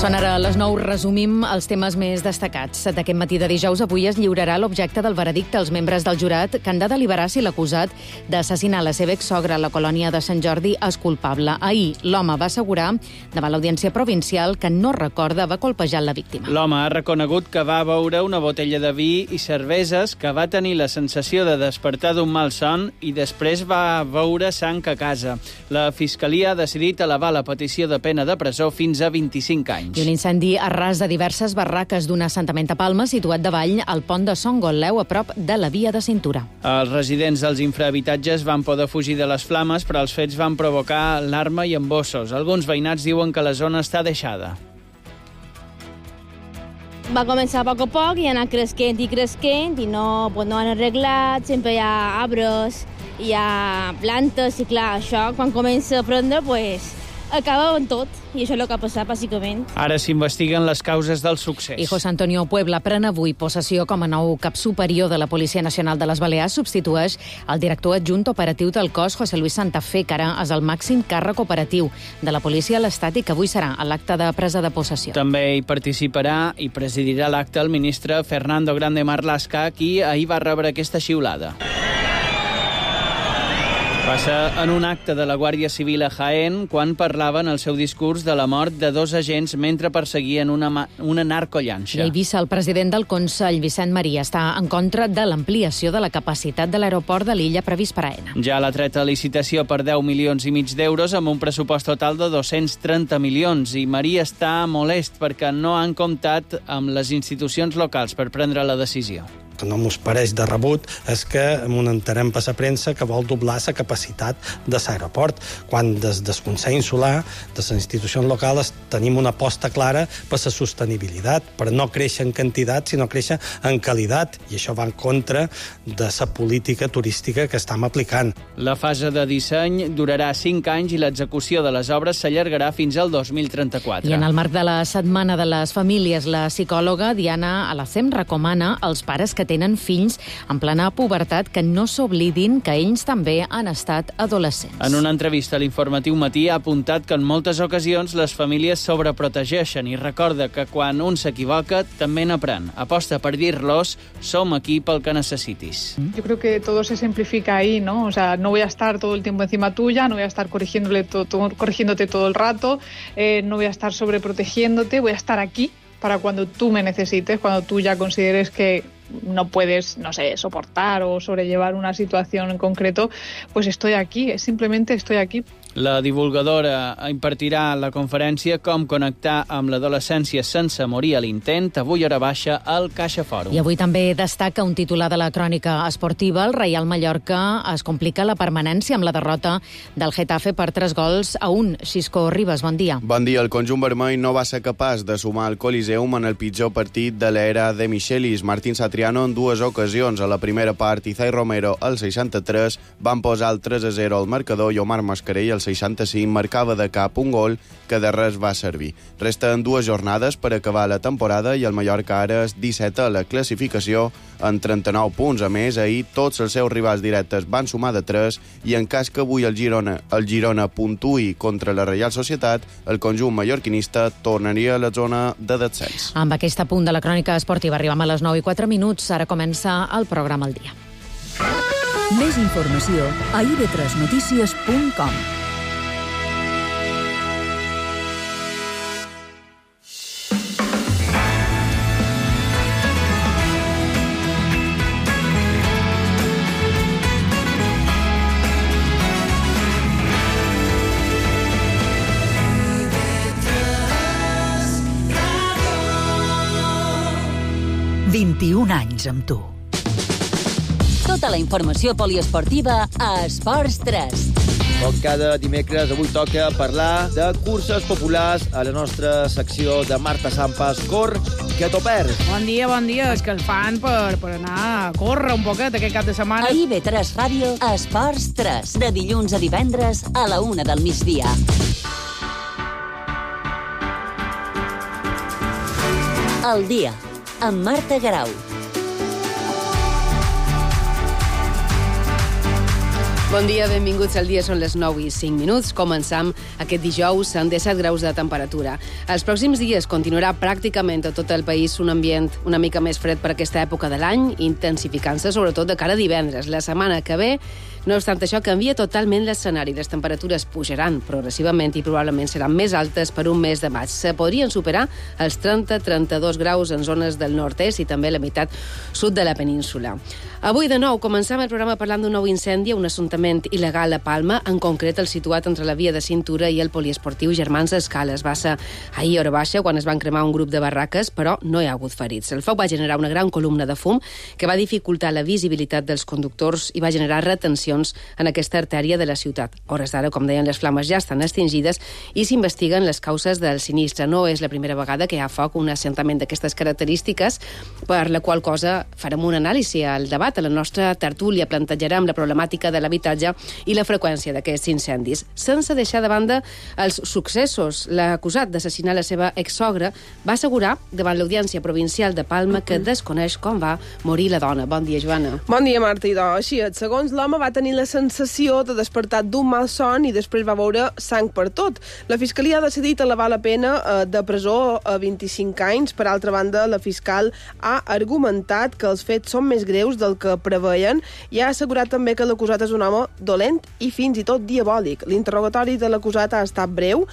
Són ara les 9, resumim els temes més destacats. D'aquest matí de dijous, avui es lliurarà l'objecte del veredicte als membres del jurat que han de deliberar si l'acusat d'assassinar la seva exsogra a la colònia de Sant Jordi és culpable. Ahir, l'home va assegurar davant l'audiència provincial que no recorda haver colpejat la víctima. L'home ha reconegut que va beure una botella de vi i cerveses, que va tenir la sensació de despertar d'un mal son i després va beure sang a casa. La Fiscalia ha decidit elevar la petició de pena de presó fins a 25 anys. I un incendi arràs de diverses barraques d'un assentament a Palma situat davall al pont de Son Gotleu a prop de la via de cintura. Els residents dels infrahabitatges van poder fugir de les flames, però els fets van provocar alarma i embossos. Alguns veïnats diuen que la zona està deixada. Va començar a poc i anar cresquent i no han arreglat, sempre hi ha arbres, hi ha plantes i clar, això quan comença a prendre, acaba amb tot, i això és el que ha passat, bàsicament. Ara s'investiguen les causes del succés. I José Antonio Puebla pren avui possessió com a nou cap superior de la Policia Nacional de les Balears, substitueix el director adjunt operatiu del cos, José Luis Santafé, que ara és el màxim càrrec operatiu de la policia a l'Estat i que avui serà a l'acte de presa de possessió. També hi participarà i presidirà l'acte el ministre Fernando Grande Marlaska, qui ahir va rebre aquesta xiulada. Va ser en un acte de la Guàrdia Civil a Jaén quan parlava en el seu discurs de la mort de 2 agents mentre perseguien una narcollanxa. I a Eivissa, el president del Consell, Vicent Maria, està en contra de l'ampliació de la capacitat de l'aeroport de l'illa previst per Aena. Ja l'ha tret a licitació per 10,5 milions d'euros amb un pressupost total de 230 milions i Maria està molest perquè no han comptat amb les institucions locals per prendre la decisió. Que no mos pareix de rebut és que m'ho entenem per la premsa que vol doblar la capacitat de l'aeroport, quan des del Consell Insular, de les institucions locals, tenim una aposta clara per la sostenibilitat, per no créixer en quantitat, sinó créixer en qualitat, i això va en contra de la política turística que estem aplicant. La fase de disseny durarà 5 anys i l'execució de les obres s'allargarà fins al 2034. I en el marc de la Setmana de les Famílies, la psicòloga Diana Alacem recomana als pares que tenen fills en plena pubertat que no s'oblidin que ells també han estat adolescents. En una entrevista a l'Informatiu Matí ha apuntat que en moltes ocasions les famílies sobreprotegeixen i recorda que quan un s'equivoca també n'aprèn. Aposta per dir-los, som aquí pel que necessitis. Yo creo que todo se simplifica ahí, ¿no? O sea, no voy a estar todo el tiempo encima tuya, no voy a estar corrigiéndote todo el rato, no voy a estar sobreprotegiéndote, voy a estar aquí para cuando tú me necesites, cuando tú ya consideres que no puedes, soportar o sobrellevar una situación en concreto, pues estoy aquí, simplemente estoy aquí. La divulgadora impartirà la conferència Com connectar amb l'adolescència sense morir a l'intent, avui hora baixa al Caixa Fòrum. I avui també destaca un titular de la crònica esportiva. El Reial Mallorca es complica la permanència amb la derrota del Getafe per 3-1. Xisco Ribas, bon dia. Bon dia. El conjunt vermell no va ser capaç de sumar el Coliseum en el pitjor partit de l'era de Michelis. Martín Satriano en 2 ocasions. A la primera part, Izai Romero al 63 van posar el 3-0 al marcador i Omar Mascarell al 65 marcava de cap un gol que de res va servir. Resten 2 jornades per acabar la temporada i el Mallorca ara és 17 a la classificació en 39 punts. A més, ahir tots els seus rivals directes van sumar de 3 i en cas que avui el Girona puntuï contra la Reial Societat, el conjunt mallorquinista tornaria a la zona de descens. Amb aquest punt de la crònica esportiva arribem a les 9:04. Ara comença el programa al dia. Més informació a ib3notícies.com. anys amb tu. Tota la informació poliesportiva a Esports 3. Com cada dimecres, avui toca parlar de curses populars a la nostra secció de Marta Sampas. Cor, que t'ho perds. Bon dia. És que els fan per anar a córrer un poquet aquest cap de setmana. A IB3 Ràdio, Esports 3, de dilluns a divendres a la 1 del migdia. El dia, amb Marta Garau. Bon dia, benvinguts al dia. Són les 9:05. Començam aquest dijous amb 17 graus de temperatura. Els pròxims dies continuarà pràcticament a tot el país un ambient una mica més fred per aquesta època de l'any, intensificant-se sobretot de cara a divendres. La setmana que ve, no obstant això, canvia totalment l'escenari. Les temperatures pujaran progressivament i probablement seran més altes per un mes de maig. Se podrien superar els 30-32 graus en zones del nord-est i també la meitat sud de la península. Avui, de nou, començam el programa parlant d'un nou incendi a un assuntament il·legal a Palma, en concret el situat entre la via de cintura i el poliesportiu Germans Escales. Va ser ahir a hora baixa quan es van cremar un grup de barraques, però no hi ha hagut ferits. El foc va generar una gran columna de fum que va dificultar la visibilitat dels conductors i va generar retencions en aquesta artèria de la ciutat. A hores d'ara, com deien, les flames ja estan extingides i s'investiguen les causes del sinistre. No és la primera vegada que hi ha foc, un assentament d'aquestes característiques, per la qual cosa farem un anàlisi al debat. A la nostra tertúlia plantejarem la problemàtica de l'habitatge i la freqüència d'aquests incendis. Sense deixar de banda els successos, l'acusat d'assassinar la seva exsogra va assegurar davant l'Audiència Provincial de Palma que desconeix com va morir la dona. Bon dia, Joana. Bon dia, Marta. Idò. Així és. Segons l'home, va tenir la sensació de despertar d'un mal son i després va veure sang per tot. La Fiscalia ha decidit elevar la pena de presó a 25 anys. Per altra banda, la fiscal ha argumentat que els fets són més greus del que preveien i ha assegurat també que l'acusat és un home dolent i fins i tot diabòlic. L'interrogatori de l'acusat ha estat breu,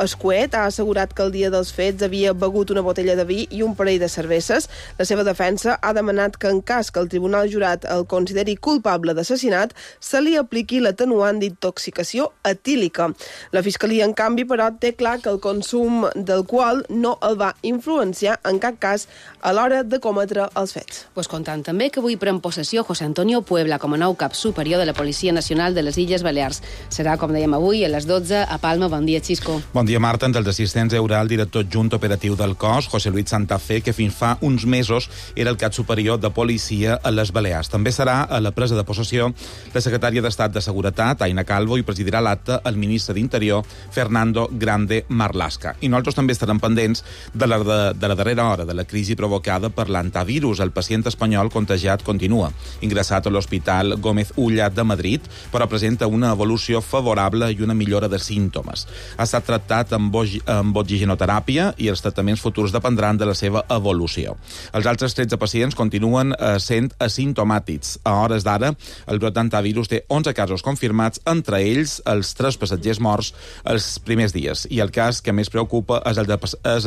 escuet, ha assegurat que el dia dels fets havia begut una botella de vi i un parell de cerveses. La seva defensa ha demanat que en cas que el tribunal jurat el consideri culpable d'assassinat, se li apliqui l'atenuant d'intoxicació etílica. La Fiscalia, en canvi, però, té clar que el consum d'alcohol no el va influenciar en cap cas a l'hora de cometre els fets. Pues contant també que avui pren possessió José Antonio Puebla com a nou cap superior de la Policia Nacional de les Illes Balears. Serà, com dèiem avui, a les 12 a Palma. Bon dia, Xisco. Bon dia, Marta. Entre els assistents hi haurà el director adjunt operatiu del cos, José Luis Santa Fe, que fins fa uns mesos era el cap superior de policia a les Balears. També serà a la presa de possessió la secretària d'Estat de Seguretat, Aina Calvo, i presidirà l'acte el ministre d'Interior, Fernando Grande Marlaska. I nosaltres també estarem pendents de la darrera hora de la crisi provocada per l'antivirus. El pacient espanyol contagiat continua ingressat a l'Hospital Gómez Ulla de Madrid, però presenta una evolució favorable i una millora de símptomes. Ha estat tractat amb oxigenoteràpia i els tractaments futurs dependran de la seva evolució. Els altres 13 pacients continuen sent asimptomàtics. A hores d'ara, el brot d'antivirus té 11 casos confirmats, entre ells els 3 passatgers morts els primers dies. I el cas que més preocupa és el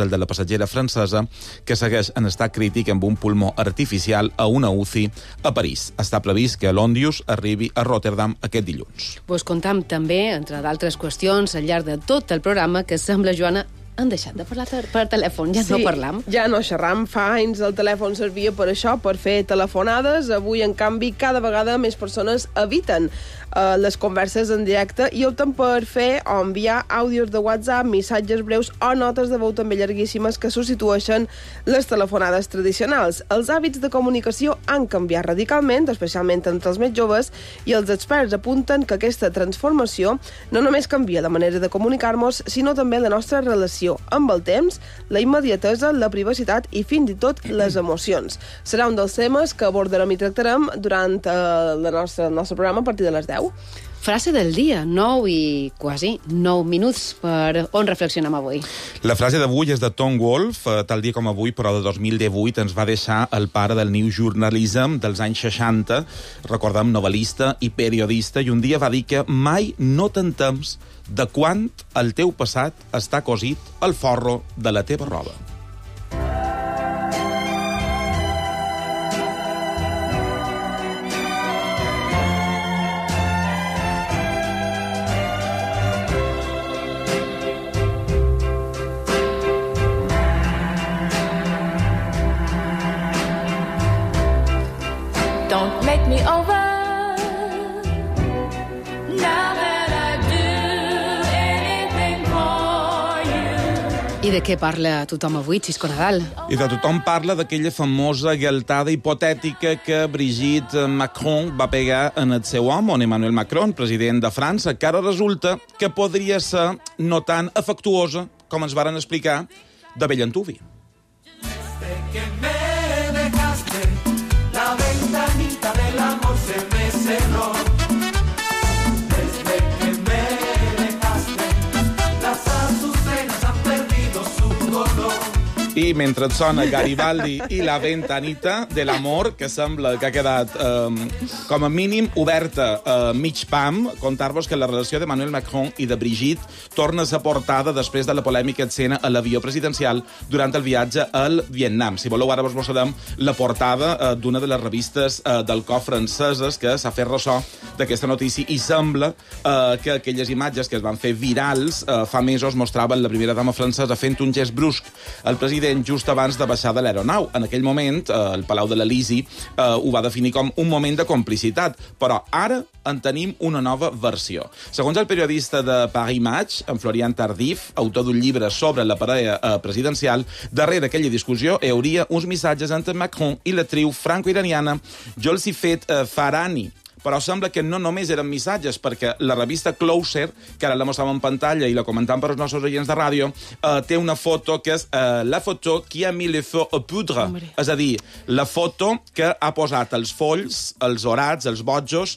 de la passatgera francesa, que segueix en estat crític amb un pulmó artificial a una UCI a París. Està previst que l'Ondius arribi a Rotterdam aquest dilluns. Pues comptam també, entre d'altres qüestions, al llarg de tot el programa, que sembla, Joana, han deixat de parlar per telèfon, ja sí, no parlam. Ja no xerram, fa anys el telèfon servia per això, per fer telefonades. Avui, en canvi, cada vegada més persones eviten les converses en directe i opten per fer o enviar àudios de WhatsApp, missatges breus o notes de veu també llarguíssimes que substitueixen les telefonades tradicionals. Els hàbits de comunicació han canviat radicalment, especialment entre els més joves, i els experts apunten que aquesta transformació no només canvia la manera de comunicar-nos, sinó també la nostra relació amb el temps, la immediatesa, la privacitat i fins i tot les emocions. Serà un dels temes que abordarem i tractarem durant el nostre programa a partir de les 10. Frase del dia, 9 i quasi 9 minuts per on reflexionem avui. La frase d'avui és de Tom Wolfe, tal dia com avui, però de 2018, ens va deixar el pare del New Journalism dels anys 60, recordem, novel·lista i periodista, i un dia va dir que mai no t'entems de quant el teu passat està cosit al forro de la teva roba. Don't make me over. Now that I do anything for you. I de què parla tothom avui, Xisco Nadal? I de tothom parla d'aquella famosa galtada hipotètica que Brigitte Macron va pegar en el seu home, Emmanuel Macron, president de França, que ara resulta que podria ser no tan afectuosa, com ens varen explicar, de bell antuvi. aquí, mentre et sona Garibaldi i la ventanita de l'amor, que sembla que ha quedat, com a mínim, oberta mig pam, contar-vos que la relació de Emmanuel Macron i de Brigitte torna a ser portada després de la polèmica escena a l'avió presidencial durant el viatge al Vietnam. Si voleu, ara vos mostrarem la portada d'una de les revistes del cop franceses que s'ha fet ressò d'aquesta notícia i sembla que aquelles imatges que es van fer virals fa mesos mostraven la primera dama francesa fent un gest brusc al president just abans de baixar de l'aeronau. En aquell moment, el Palau de l'Elisi ho va definir com un moment de complicitat, però ara en tenim una nova versió. Segons el periodista de Paris Match, en Florian Tardif, autor d'un llibre sobre la parella presidencial, darrere aquella discussió hi hauria uns missatges entre Macron i l'actriu franco-iraniana Jolsifet Farhani. Però sembla que no només eren missatges, perquè la revista Closer, que ara la mostrava en pantalla i la comentam per als nostres oients de ràdio, té una foto que és la foto qui ha mis le feu au poudre. És a dir, la foto que ha posat els folls, els orats, els bojos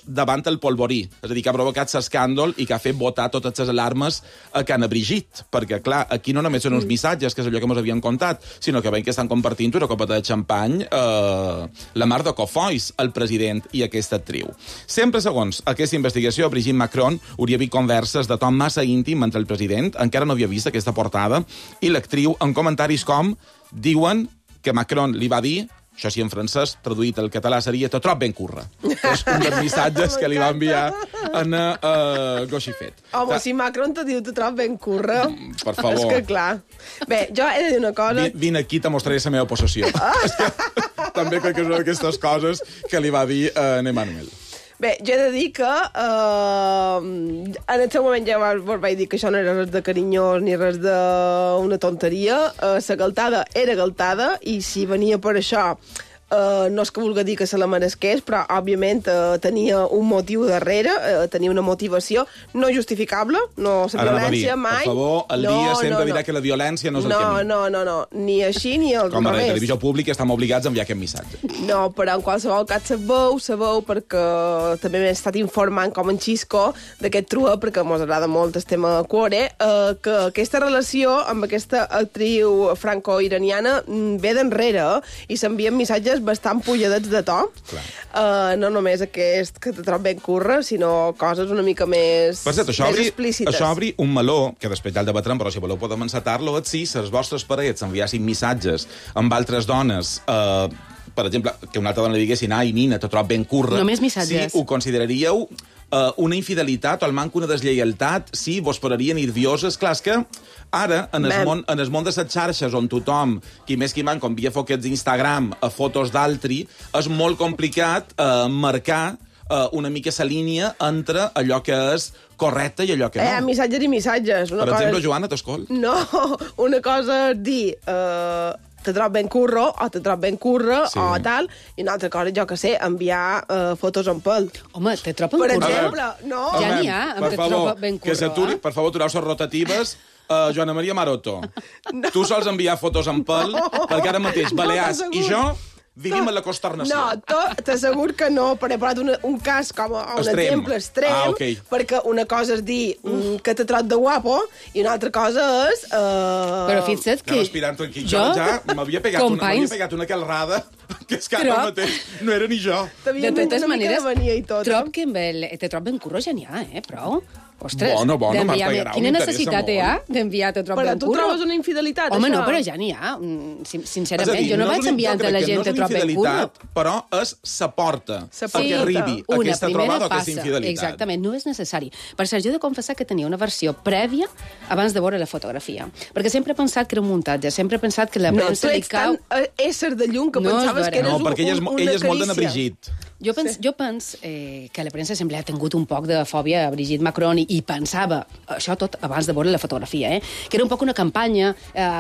davant el polvorí. És a dir, que ha provocat l'escàndol i que ha fet botar totes les alarmes a Cana Brigitte. Perquè, clar, aquí no només són uns missatges, que és allò que ens havien contat, sinó que veiem que estan compartint una copeta de xampany la mar de Cofois, el president i aquesta actriu. Sempre segons aquesta investigació, Brigitte Macron hauria vist converses de tom massa íntim entre el president, encara no havia vist aquesta portada, i l'actriu en comentaris com diuen que Macron li va dir, això sí en francès, traduït al català seria «te trob ben curra». És un dels missatges que li va enviar a Goshifet. Home, si Macron te diu «te trob ben curra», per favor. És que clar. Bé, jo he de dir una cosa... Vine aquí, te mostraré la meva possessió. És que també crec que són aquestes coses que li va dir en Emmanuel. Bé, jo he de dir que en el seu moment ja vos vaig dir que això no era res de carinyós ni res d'una tonteria. La galtada era galtada i si venia per això... no és que vulgui dir que se la meresqués, però, òbviament, tenia un motiu darrere, tenia una motivació no justificable, no la violència mai. Per favor, el dia sempre dirà que la violència no és el camí. No, ni així ni al revés. Com a la televisió pública estem obligats a enviar aquest missatge. No, però en qualsevol cas sabeu, perquè també m'he estat informant com en Xisco d'aquest truà, perquè mos agrada molt el tema Cuore, que aquesta relació amb aquesta actriu franco-iraniana ve d'enrere i s'envien missatges bastant pujadets de to. No només aquest que te trob ben curra, sinó coses una mica més, per cert, més explícites. Això obri un meló, que després ja el debatrem, però si voleu podem encetar-lo, si les vostres parets enviassin missatges amb altres dones, per exemple, que una altra dona li diguessin «ai, nina, te trob ben curra». Només missatges. Si ho consideraríeu una infidelitat o el manco una deslleialtat, si vos pararia nervioses. Clar, és que ara, en el món de les xarxes, on tothom, qui més qui manco, envia foquets d'Instagram a fotos d'altri, és molt complicat marcar una mica la línia entre allò que és correcte i allò que no. Missatges i missatges. Per exemple, Joana, t'escolt? No, una cosa és dir... te trob ben curro, o te trob ben curra, o tal, i una altra cosa, jo que sé, enviar fotos en pèl. Home, te trob ben curro. Per exemple, no. Ja n'hi ha, amb te trob ben curro. Que s'aturi, per favor, atureu les rotatives. Joana Maria Maroto, tu sols enviar fotos en pèl, perquè ara mateix Balears i jo vivim en la consternació. No, t'assegur que no, però he posat un cas com un exemple extrem, perquè una cosa és dir que te trot de guapo i una altra cosa és... Però fixa't que... Respirant tranquil. Jo ja m'havia pegat una calrada que és que ara mateix no era ni jo. De totes maneres, trob que te trob ben curro ja n'hi ha, prou. Ostres, bueno, m'artegarà. Quina necessitat hi ha d'enviar te trob ben curro? Però tu trobes una infidelitat, Home, això? no, però ja n'hi ha. Sincerament, jo no vaig enviar entre la gent te trob ben curro. Però és sa porta perquè arribi aquesta trobada o aquesta infidelitat. Exactament, no és necessari. Per cert, jo he de confessar que tenia una versió prèvia abans de veure la fotografia. Perquè sempre he pensat que era un muntatge, sempre he pensat que la premsa li cau... No, tu ets tan ésser de llum que pensaves que eres una carícia. No, perquè ella és molt de Brigitte. Jo penso que la premsa sempre ha tingut un poc de fòbia a Brigitte Macron i pensava, això tot abans de veure la fotografia, que era un poc una campanya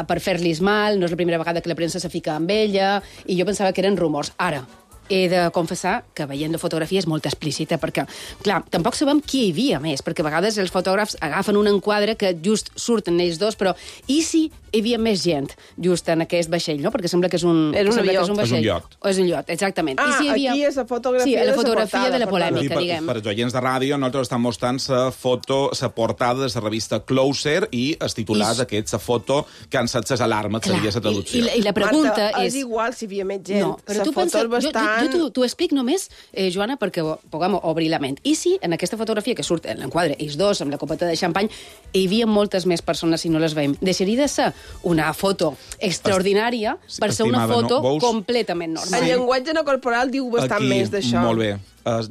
per fer-li mal, no és la primera vegada que la premsa se fica amb ella, i jo pensava que eren rumors. Ara, he de confessar que veient la fotografia és molt explícita, perquè, clar, tampoc sabem qui hi havia més, perquè a vegades els fotògrafs agafen un enquadre que just surten ells dos, però i si hi havia més gent just en aquest vaixell, no? Perquè sembla que és un avió. vaixell. És un iot. O és un iot, exactament. I si hi havia... aquí és la fotografia, sí, la fotografia portada, de la polèmica, diguem. Per als oients de ràdio, nosaltres estem mostrant la portada de la revista Closer i es titular d'aquesta foto que han set les alarmes, seria la traducció. I la pregunta Marta, és... És igual si hi havia més gent. No, però la tu foto pensa... és bastant... Jo t'ho explic només, Joana, perquè puguem obrir la ment. I si en aquesta fotografia que surt en l'enquadre, ells dos, amb la copeta de xampany, hi havia moltes més persones si no les veiem. Deixaria de ser una foto extraordinària per ser una foto completament normal. El llenguatge no corporal diu bastant més d'això. Molt bé.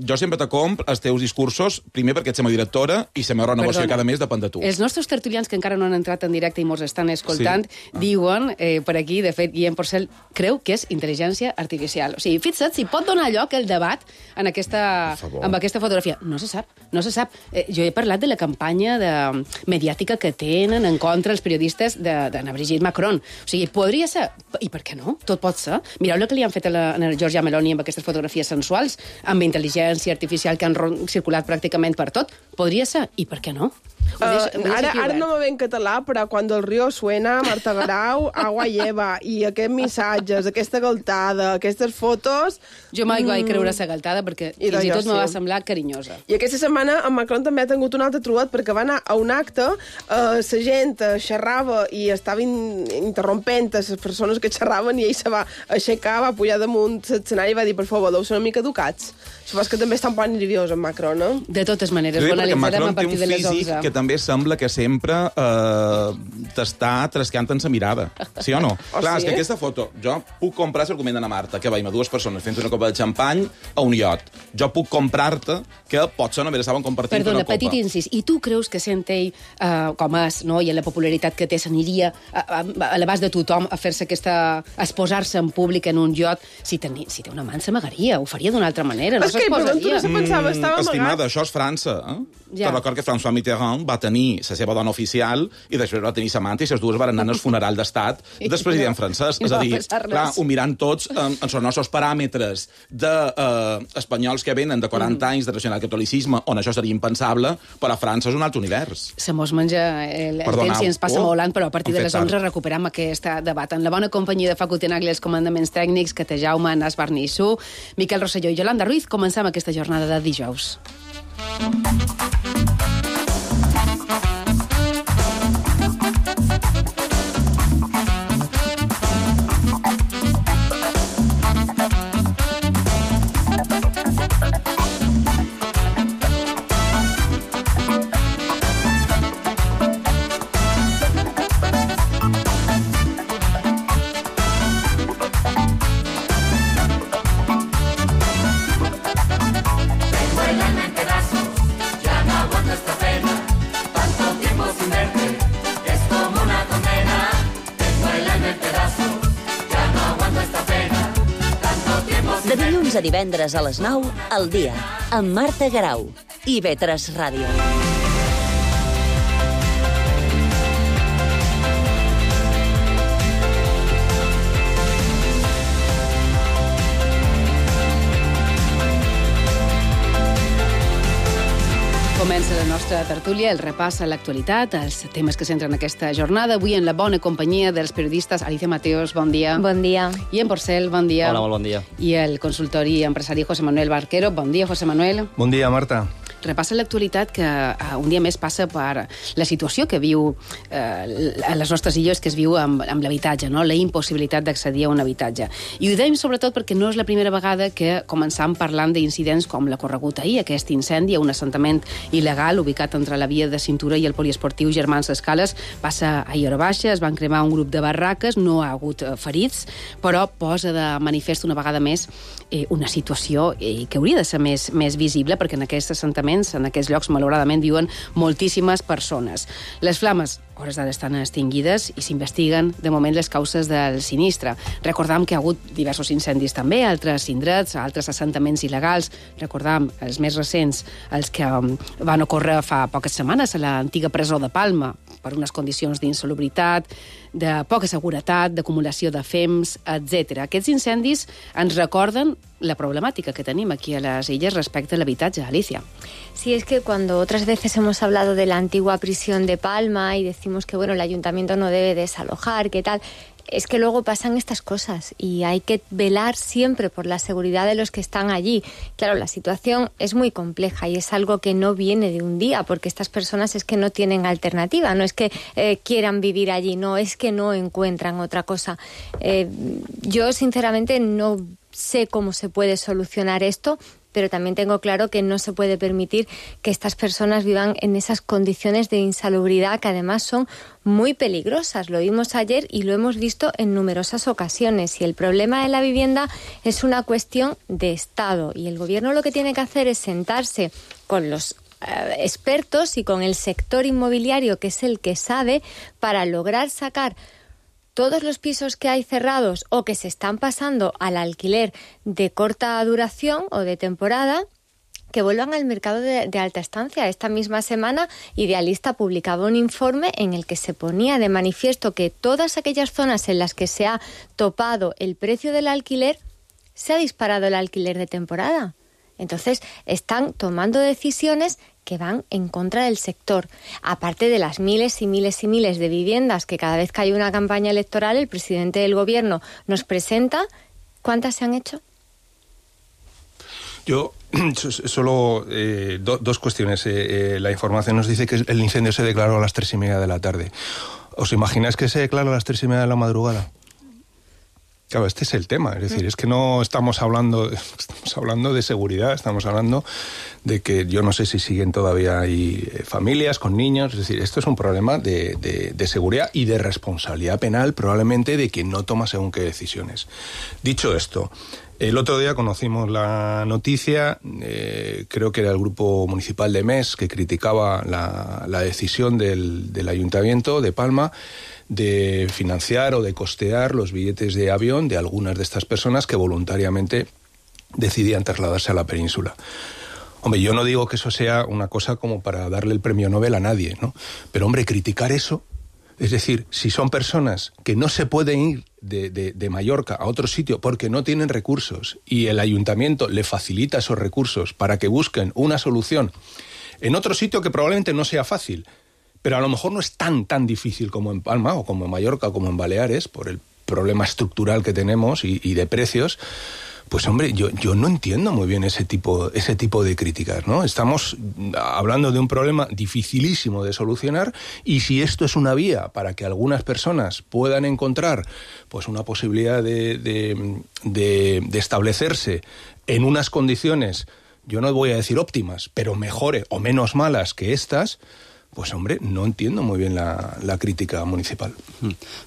Jo sempre te compro els teus discursos, primer perquè ets la meva directora i la meva renovació cada mes depèn de tu. Els nostres tertulians que encara no han entrat en directe i mos estan escoltant diuen, per aquí, de fet, Guillem Porcel creu que és intel·ligència artificial. O sigui, fixa't, si pot donar lloc el debat amb aquesta fotografia. No se sap, no se sap. Jo he parlat de la campanya mediàtica que tenen en contra els periodistes d'Anna Brigitte Macron. O sigui, podria ser... I per què no? Tot pot ser. Mireu el que li han fet a la Giorgia Meloni amb aquestes fotografies sensuals, amb intel·ligència artificial que han circulat pràcticament per tot. Podria ser. I per què no? Ara no me ve en català, però quan el riu suena, Marta Garau, agua lleva, i aquests missatges, aquesta galtada, aquestes fotos... Jo mai vaig creure la galtada perquè fins i tot me va semblar carinyosa. I aquesta setmana en Macron també ha tingut un altre trobat perquè va anar a un acte, la gent xerrava i estava interrompent a les persones que xerraven i ell se va aixecar, va pujar damunt l'escenari i va dir, per favor, deu ser una mica educats. Supos que també està un poc nerviós en Macron, no? De totes maneres, ho analitzarem a partir de les 11. Que també sembla que sempre t'està trascant en sa mirada. Sí o no? Clar, és que aquesta foto... Jo puc comprar l'argument d'Anna Marta, que veiem a dues persones fent una copa de xampany a un iot. Jo puc comprar-te que potser només estaven compartint una copa. Petit incís. I tu creus que sent ell, com és, no? I en la popularitat que té, s'aniria a l'abast de tothom a fer-se aquesta... a exposar-se en públic en un iot? Si té una mà, s'amagaria. Ho faria d'una altra manera. No s'exposaria. Estimada, això és França, Te record que François Mitterrand va tenir la seva dona oficial i després va tenir sa amant i les dues van anar al funeral d'estat del president francès. És a dir, clar, ho mirant tots en els nostres paràmetres d'espanyols que venen de 40 anys de nacionalcatolicisme, on això seria impensable, però a França és un altre univers. Se mos menja el temps i ens passa volant, però a partir de les 11 recuperem aquest debat. En la bona companyia de Facu Tenagli, els comandaments tècnics, que té Jaume, Nas Barnissú, Miquel Rosselló i Yolanda Ruiz, comencem aquesta jornada de dijous. De dilluns a divendres a les 9, al dia, amb Marta Garau i IB3 Ràdio. Comença la nostra tertúlia, el repàs a l'actualitat, els temes que centren aquesta jornada. Avui en la bona companyia dels periodistes Alicia Mateos, bon dia. Bon dia. I en Porcel, bon dia. Hola, molt bon dia. I el consultori empresari José Manuel Barquero. Bon dia, José Manuel. Bon dia, Marta. Repassa l'actualitat que un dia més passa per la situació que viu a les nostres illes, que es viu amb l'habitatge, no? La impossibilitat d'accedir a un habitatge. I ho dèiem sobretot perquè no és la primera vegada que començam parlant d'incidents com l'ha corregut ahir, aquest incendi a un assentament il·legal ubicat entre la via de cintura i el poliesportiu Germans Escales. Passa a Hora Baixa, es van cremar un grup de barraques, no ha hagut ferits, però posa de manifest una vegada més una situació que hauria de ser més visible, perquè en aquests assentaments, en aquests llocs, malauradament, viuen moltíssimes persones. Les flames, hores d'ara, estan extingides i s'investiguen, de moment, les causes del sinistre. Recordam que ha hagut diversos incendis també, altres indrets, altres assentaments il·legals. Recordam els més recents, els que van ocórrer fa poques setmanes a l'antiga presó de Palma, per unes condicions d'insalubritat, de poca seguretat, d'acumulació de fems, etc. Aquests incendis ens recorden la problemática que tenemos aquí a las illes respecto a l'habitatge, Alicia. Sí, es que cuando otras veces hemos hablado de la antigua prisión de Palma y decimos que bueno, el ayuntamiento no debe desalojar, ¿qué tal? Es que luego pasan estas cosas y hay que velar siempre por la seguridad de los que están allí. Claro, la situación es muy compleja y es algo que no viene de un día, porque estas personas es que no tienen alternativa, no es que quieran vivir allí, no, es que no encuentran otra cosa. Yo sinceramente no sé cómo se puede solucionar esto, pero también tengo claro que no se puede permitir que estas personas vivan en esas condiciones de insalubridad que además son muy peligrosas. Lo vimos ayer y lo hemos visto en numerosas ocasiones. Y el problema de la vivienda es una cuestión de Estado. Y el gobierno lo que tiene que hacer es sentarse con los expertos y con el sector inmobiliario, que es el que sabe, para lograr sacar todos los pisos que hay cerrados o que se están pasando al alquiler de corta duración o de temporada, que vuelvan al mercado de alta estancia. Esta misma semana, Idealista publicaba un informe en el que se ponía de manifiesto que todas aquellas zonas en las que se ha topado el precio del alquiler, se ha disparado el alquiler de temporada. Entonces, están tomando decisiones que van en contra del sector. Aparte de las miles y miles y miles de viviendas que cada vez que hay una campaña electoral el presidente del gobierno nos presenta, ¿cuántas se han hecho? Yo solo dos cuestiones. La información nos dice que el incendio se declaró a las 3:30 de la tarde. ¿Os imagináis que se declaró a las 3:30 de la madrugada? Claro, este es el tema, es decir, es que no estamos hablando de seguridad, estamos hablando de que yo no sé si siguen todavía ahí familias con niños, es decir, esto es un problema de seguridad y de responsabilidad penal, probablemente de quien no toma según qué decisiones. Dicho esto, el otro día conocimos la noticia, creo que era el grupo municipal de MES que criticaba la decisión del Ayuntamiento de Palma de financiar o de costear los billetes de avión de algunas de estas personas que voluntariamente decidían trasladarse a la península. Hombre, yo no digo que eso sea una cosa como para darle el premio Nobel a nadie, ¿no? Pero, hombre, criticar eso, es decir, si son personas que no se pueden ir de Mallorca a otro sitio porque no tienen recursos y el ayuntamiento le facilita esos recursos para que busquen una solución en otro sitio que probablemente no sea fácil, pero a lo mejor no es tan difícil como en Palma o como en Mallorca o como en Baleares, por el problema estructural que tenemos y de precios, pues hombre, yo no entiendo muy bien ese tipo de críticas, ¿no? Estamos hablando de un problema dificilísimo de solucionar y si esto es una vía para que algunas personas puedan encontrar pues una posibilidad de establecerse en unas condiciones, yo no voy a decir óptimas, pero mejores o menos malas que estas, pues, hombre, no entiendo muy bien la crítica municipal.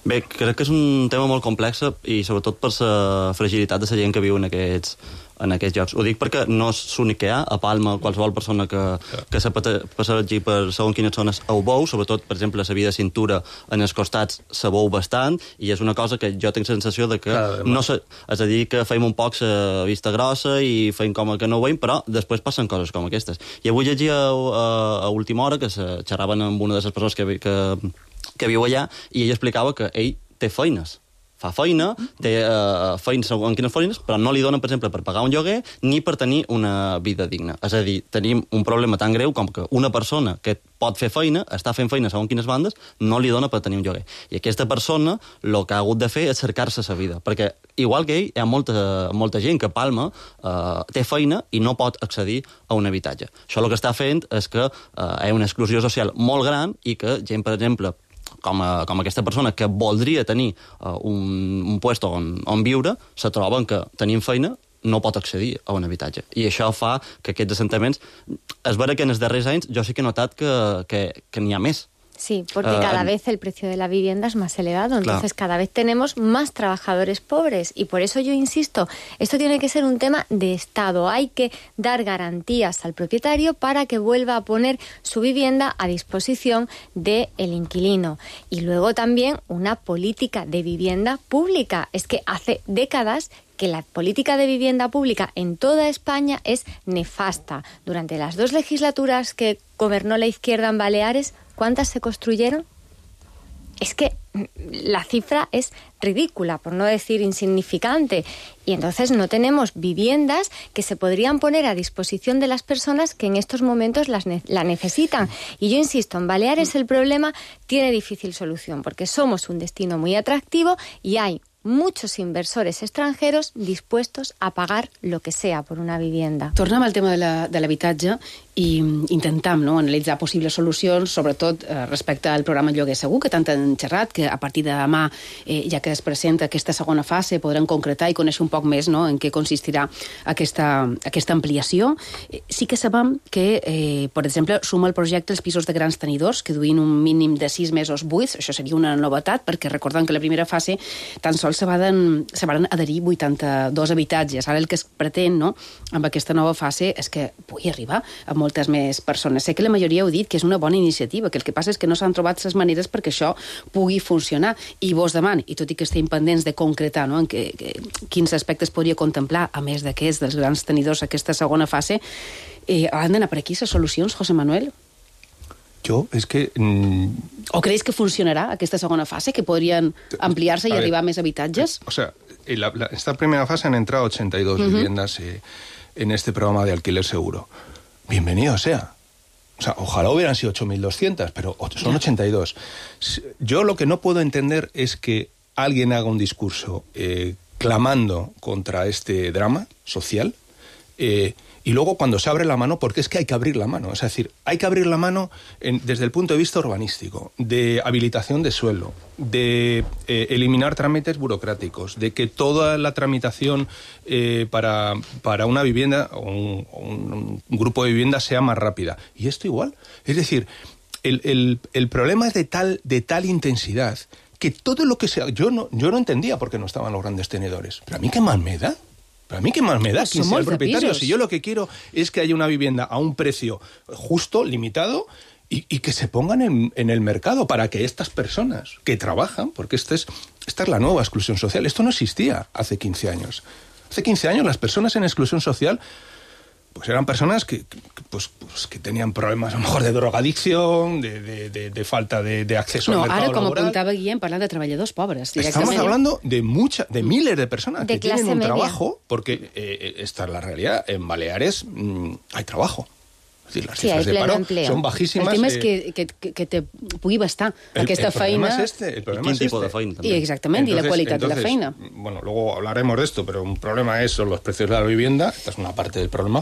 Bé, crec que és un tema molt complex i sobretot per la fragilitat de la gent que viu en aquests llocs. Ho dic perquè no és l'únic que hi ha. A Palma, qualsevol persona que se passegi per segons quines zones ho veu, sobretot, per exemple, la via de cintura en els costats se veu bastant i és una cosa que jo tinc la sensació de que no és a dir que feim un poc la vista grossa i feim com que no ho veiem, però després passen coses com aquestes. I avui llegia a última hora que xerraven amb una de les persones que viu allà i ell explicava que ell té feines. Fa feina, té feines en quines feines, però no li donen, per exemple, per pagar un lloguer ni per tenir una vida digna. És a dir, tenim un problema tan greu com que una persona que pot fer feina, està fent feina segons quines bandes, no li dona per tenir un lloguer. I aquesta persona el que ha hagut de fer és cercar-se la vida, perquè igual que ell, hi ha molta gent que a Palma té feina i no pot accedir a un habitatge. Això el que està fent és que hi ha una exclusió social molt gran i que gent, per exemple, com aquesta persona que voldria tenir un puesto on viure, se troben que tenint feina no pot accedir a un habitatge. I això fa que aquests assentaments... És vera que en els darrers anys jo sí que he notat que n'hi ha més. Sí, porque cada vez el precio de la vivienda es más elevado, entonces cada vez tenemos más trabajadores pobres y por eso yo insisto, esto tiene que ser un tema de Estado, hay que dar garantías al propietario para que vuelva a poner su vivienda a disposición del inquilino y luego también una política de vivienda pública, es que hace décadas que la política de vivienda pública en toda España es nefasta. Durante las 2 legislaturas que gobernó la izquierda en Baleares, ¿cuántas se construyeron? es que la cifra es ridícula, por no decir insignificante, y entonces no tenemos viviendas que se podrían poner a disposición de las personas que en estos momentos la necesitan. Y yo insisto, en Baleares el problema tiene difícil solución, porque somos un destino muy atractivo y hay muchos inversores extranjeros dispuestos a pagar lo que sea por una vivienda. Tornem al tema de l'habitatge i intentam analitzar possibles solucions, sobretot respecte al programa Lloguer Segur, que tant han xerrat, que a partir de demà, ja que es presenta aquesta segona fase, podran concretar i conèixer un poc més en què consistirà aquesta ampliació. Sí que sabem que, per exemple, suma el projecte els pisos de grans tenidors, que duïn un mínim de 6 mesos buits. Això seria una novetat, perquè recordem que la primera fase tan sols se van adherir 82 habitatges. Ara el que es pretén amb aquesta nova fase és que pugui arribar a moltes més persones. Sé que la majoria heu dit que és una bona iniciativa, que el que passa és que no s'han trobat les maneres perquè això pugui funcionar. I vos deman, i tot i que estem pendents de concretar en quins aspectes podria contemplar, a més d'aquests dels grans tenidors, aquesta segona fase, han d'anar per aquí les solucions, José Manuel? Yo, es que... ¿O creéis que funcionará aquesta segona fase, que podrían ampliarse y arribar a més habitatges? O sea, esta primera fase han entrado 82 viviendas en este programa de alquiler seguro. Bienvenido sea. O sea, ojalá hubieran sido 8.200, pero son 82. Yo lo que no puedo entender es que alguien haga un discurso clamando contra este drama social y luego cuando se abre la mano, porque es que hay que abrir la mano. Es decir, hay que abrir la mano desde el punto de vista urbanístico, de habilitación de suelo, de eliminar trámites burocráticos, de que toda la tramitación para una vivienda o un grupo de viviendas sea más rápida. Y esto igual. Es decir, el problema es de tal intensidad que todo lo que sea... Yo no entendía por qué no estaban los grandes tenedores. Pero a mí qué más me da. Pero a mí qué más me da quién sea el propietario. Si yo lo que quiero es que haya una vivienda a un precio justo, limitado, y que se pongan en el mercado para que estas personas que trabajan, porque esta es la nueva exclusión social. Esto no existía hace 15 años. Hace 15 años las personas en exclusión social pues eran personas que tenían problemas a lo mejor de drogadicción, de falta de acceso al mercado laboral. Ara, com apuntava Guillem, parlant de treballadors pobres. Estamos hablando de miles de personas que tienen un trabajo, porque esta es la realidad. En Baleares hay trabajo. Es decir, las cifras de paro son bajísimas. El tema és que te pugui bastar aquesta feina. El problema es este. Tipo de feina, y exactamente, y la qualitat de la feina. Bueno, luego hablaremos de esto, pero un problema son los precios de la vivienda, esta es una parte del problema,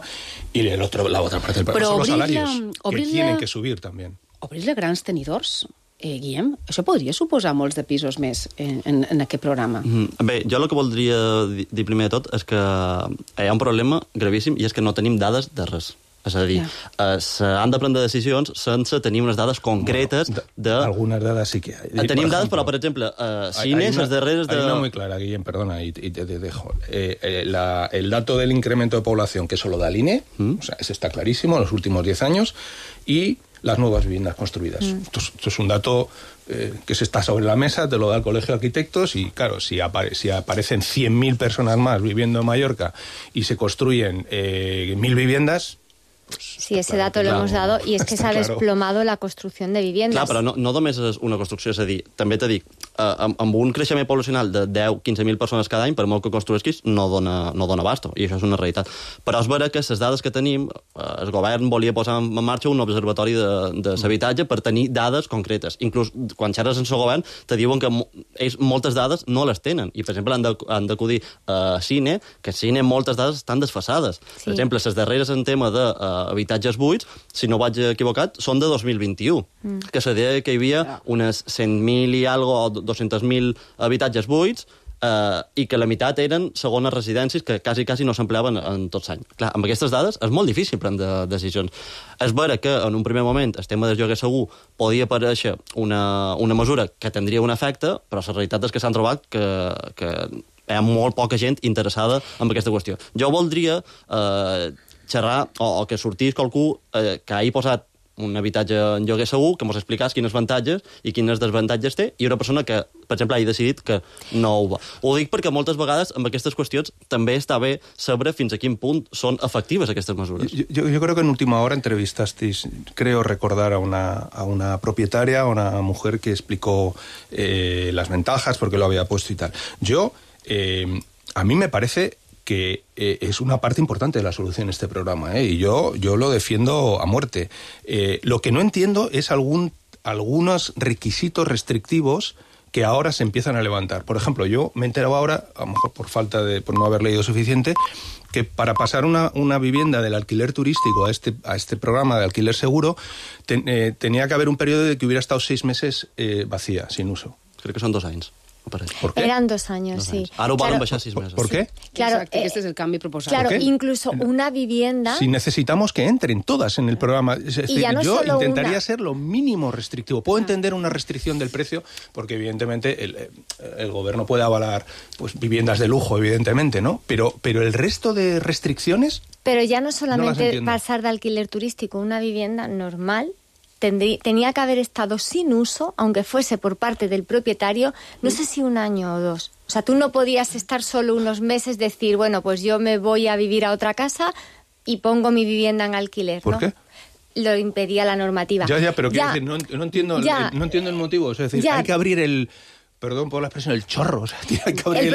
y la otra parte del problema son los salarios, que tienen que subir también. Obrir-la grans tenidors, Guillem, això podria suposar molts de pisos més en aquest programa. Bé, jo el que voldria dir primer de tot és que hi ha un problema gravíssim i és que no tenim dades de res. És a dir, s'han de prendre decisions sense tenir unes dades concretes de... Algunes dades sí que hay. Tenim dades, però, per exemple, cines, les darreres de... Hay una muy clara, Guillem, perdona, y te dejo. El dato del incremento de población, que eso lo da el INE, o sea, ese está clarísimo, en los últimos 10 años, y las nuevas viviendas construidas. Esto es un dato que se está sobre la mesa, te lo da el Colegio de Arquitectos, y claro, si aparecen 100.000 personas más viviendo en Mallorca y se construyen 1.000 viviendas... Sí, ese dato lo hemos dado, i és que s'ha desplomado la construcció de viviendas. Clar, però no només és una construcció, és a dir, també t'he dit, amb un creixement poblacional de 10-15.000 persones cada any, per molt que construïsquis, no dona abasto, i això és una realitat. Però és vera que les dades que tenim, el govern volia posar en marxa un observatori de l'habitatge per tenir dades concretes. Inclús quan xerres en el govern te diuen que ells moltes dades no les tenen, i per exemple han d'acudir a Cine, que a Cine moltes dades estan desfasades. Per exemple, les darreres en tema de habitatges buits, si no vaig equivocat, són de 2021, que se deia que hi havia unes 100.000 i algo, o 200.000 habitatges buits, i que la meitat eren segones residències que quasi no s'empleaven en tots anys. Clar, amb aquestes dades és molt difícil prendre decisions. És vera que en un primer moment el tema del lloguer segur podia aparèixer una mesura que tindria un efecte, però la realitat és que s'han trobat que hi ha molt poca gent interessada en aquesta qüestió. Jo voldria xerrar, o que sortís qualcú que hagi posat un habitatge en lloguer segur, que mos explicàs quines avantatges i quines desavantatges té, i una persona que, per exemple, hagi decidit que no ho va. Ho dic perquè moltes vegades amb aquestes qüestions també està bé saber fins a quin punt són efectives aquestes mesures. Yo creo que en última hora entrevistasteis, creo recordar a una propietaria, a una mujer que explicó las ventajas, porque lo había puesto y tal. A mí me parece que es una parte importante de la solución este programa, y yo lo defiendo a muerte. Lo que no entiendo es algunos requisitos restrictivos que ahora se empiezan a levantar. Por ejemplo, yo me he enterado ahora, a lo mejor por no haber leído suficiente, que para pasar una vivienda del alquiler turístico a este programa de alquiler seguro tenía que haber un periodo de que hubiera estado 6 meses vacía, sin uso. Creo que son 2 anys. ¿Por qué? Eran 2 años, sí. Ara ho volen baixar 6 meses. ¿Por qué? Claro, Exacte, este es el canvi proposat. Claro, incluso una vivienda... Si necesitamos que entren todas en el programa. Es decir, ya no yo solo intentaría una. ser lo mínimo restrictivo. Puedo entender una restricción del precio, porque evidentemente el gobierno puede avalar pues viviendas de lujo, evidentemente, ¿no? Pero el resto de restricciones... Pero ya no No las solamente entiendo. pasar de alquiler turístico, una vivienda normal tenía que haber estado sin uso, aunque fuese por parte del propietario, no sé si 1 año o 2. O sea, tú no podías estar solo unos meses, decir, bueno, pues yo me voy a vivir a otra casa y pongo mi vivienda en alquiler, ¿no? ¿Por qué? Lo impedía la normativa. Ya, pero quiero decir, no entiendo el motivo. Es decir, hay que abrir perdón por la expresión, el chorro. O sea, hay que abrir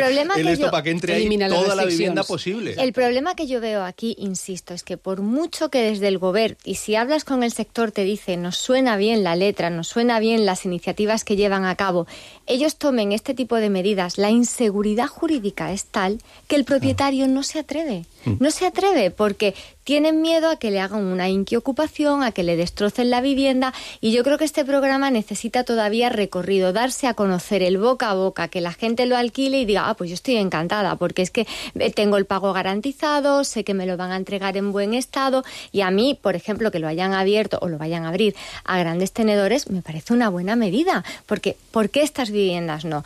esto para que entre ahí toda la vivienda posible. El problema que yo veo aquí, insisto, es que por mucho que desde el gobierno, y si hablas con el sector te dice, nos suena bien la letra, nos suena bien las iniciativas que llevan a cabo, ellos tomen este tipo de medidas, la inseguridad jurídica es tal que el propietario no se atreve. No se atreve porque tienen miedo a que le hagan una inquiocupación, a que le destrocen la vivienda, y yo creo que este programa necesita todavía recorrido, darse a conocer el boca a boca, que la gente lo alquile y diga, pues yo estoy encantada porque es que tengo el pago garantizado, sé que me lo van a entregar en buen estado, y a mí, por ejemplo, que lo hayan abierto o lo vayan a abrir a grandes tenedores, me parece una buena medida, porque ¿por qué estas viviendas no?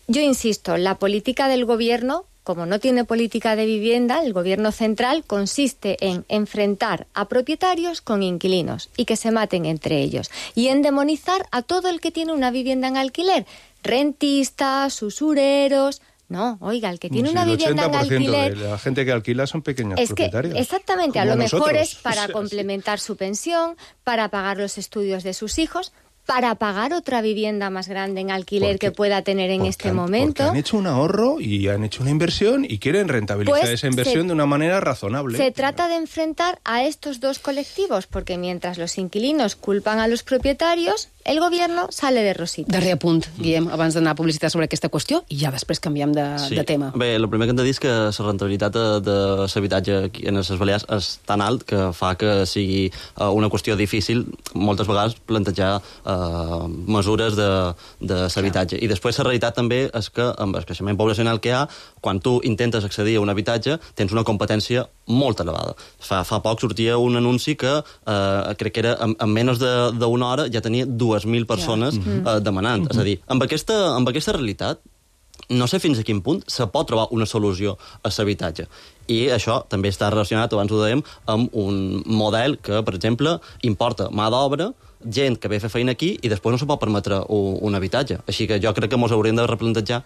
Yo insisto, la política del gobierno, como no tiene política de vivienda, el gobierno central consiste en enfrentar a propietarios con inquilinos y que se maten entre ellos, y en demonizar a todo el que tiene una vivienda en alquiler, rentistas, usureros. No, oiga, el que tiene una vivienda en alquiler... El 80% de la gente que alquila son pequeños propietarios. Exactamente, a lo nosotros. mejor es para complementar su pensión, para pagar los estudios de sus hijos, para pagar otra vivienda más grande en alquiler que pueda tener en este momento. Porque han hecho un ahorro y han hecho una inversión y quieren rentabilizar Pues esa inversión de una manera razonable. Se trata de enfrentar a estos dos colectivos, porque mientras los inquilinos culpan a los propietarios, el gobierno sale de rosita. Darrer apunt, Guillem, abans d'anar a publicitat sobre aquesta qüestió, i ja després canviem de tema. Bé, el primer que hem de dir és que la rentabilitat de l'habitatge en les Balears és tan alt que fa que sigui una qüestió difícil moltes vegades plantejar mesures de l'habitatge. I després la realitat també és que amb el creixement poblacional que hi ha, quan tu intentes accedir a un habitatge, tens una competència molt elevada. Fa poc sortia un anunci que crec que era en menys d'una hora ja tenia 2.000 persones demanant. És a dir, amb aquesta realitat no sé fins a quin punt se pot trobar una solució a l'habitatge. I això també està relacionat, abans ho dèiem, amb un model que, per exemple, importa mà d'obra, gent que ve a fer feina aquí i després no se pot permetre un habitatge. Així que jo crec que ens hauríem de replantejar.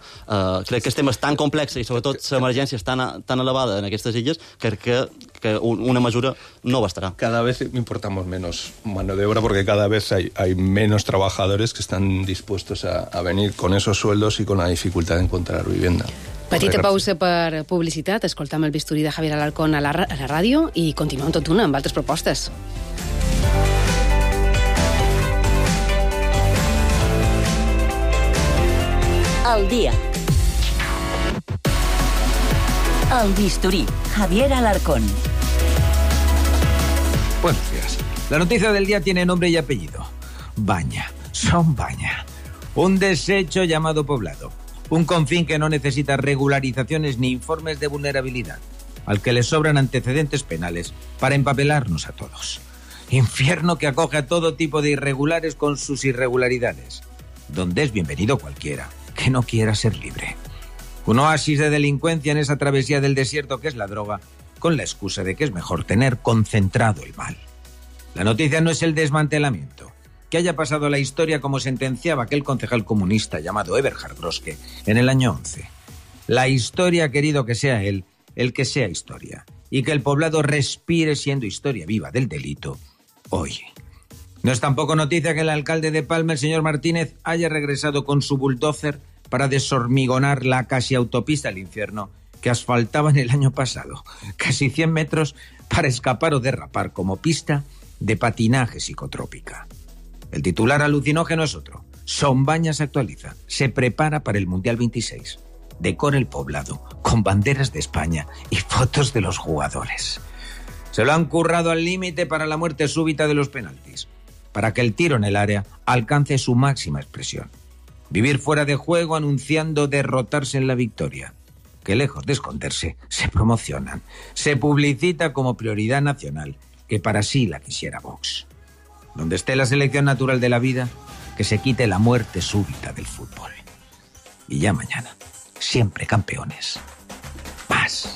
Crec que el tema és tan complex i sobretot l'emergència és tan elevada en aquestes illes que una mesura no bastarà. Cada vez importamos menos mano de obra porque cada vez hay menos trabajadores que están dispuestos a venir con esos sueldos y con la dificultad de encontrar vivienda. Petita pausa per publicitat, escoltam el bisturí de Javier Alarcón a la ràdio i continuem tot una amb altres propostes. Al día. El bisturí, Javier Alarcón. Buenos días. La noticia del día tiene nombre y apellido. Baña, Son Baña. Un desecho llamado poblado. Un confín que no necesita regularizaciones ni informes de vulnerabilidad, al que le sobran antecedentes penales para empapelarnos a todos. Infierno que acoge a todo tipo de irregulares con sus irregularidades, donde es bienvenido cualquiera que no quiera ser libre. Un oasis de delincuencia en esa travesía del desierto que es la droga, con la excusa de que es mejor tener concentrado el mal. La noticia no es el desmantelamiento, que haya pasado a la historia como sentenciaba aquel concejal comunista llamado Eberhard Groske en el año 11. La historia ha querido que sea él el que sea historia, y que el poblado respire siendo historia viva del delito hoy. No es tampoco noticia que el alcalde de Palma, el señor Martínez, haya regresado con su bulldozer para deshormigonar la casi autopista al infierno que asfaltaban el año pasado, casi 100 metros para escapar o derrapar como pista de patinaje psicotrópica. El titular alucinógeno es otro. Sombaña se actualiza, se prepara para el Mundial 26. Decora el poblado con banderas de España y fotos de los jugadores. Se lo han currado al límite para la muerte súbita de los penaltis, para que el tiro en el área alcance su máxima expresión. Vivir fuera de juego anunciando derrotarse en la victoria, que lejos de esconderse, se promocionan. Se publicita como prioridad nacional, que para sí la quisiera Vox. Donde esté la selección natural de la vida, que se quite la muerte súbita del fútbol. Y ya mañana, siempre campeones. Más.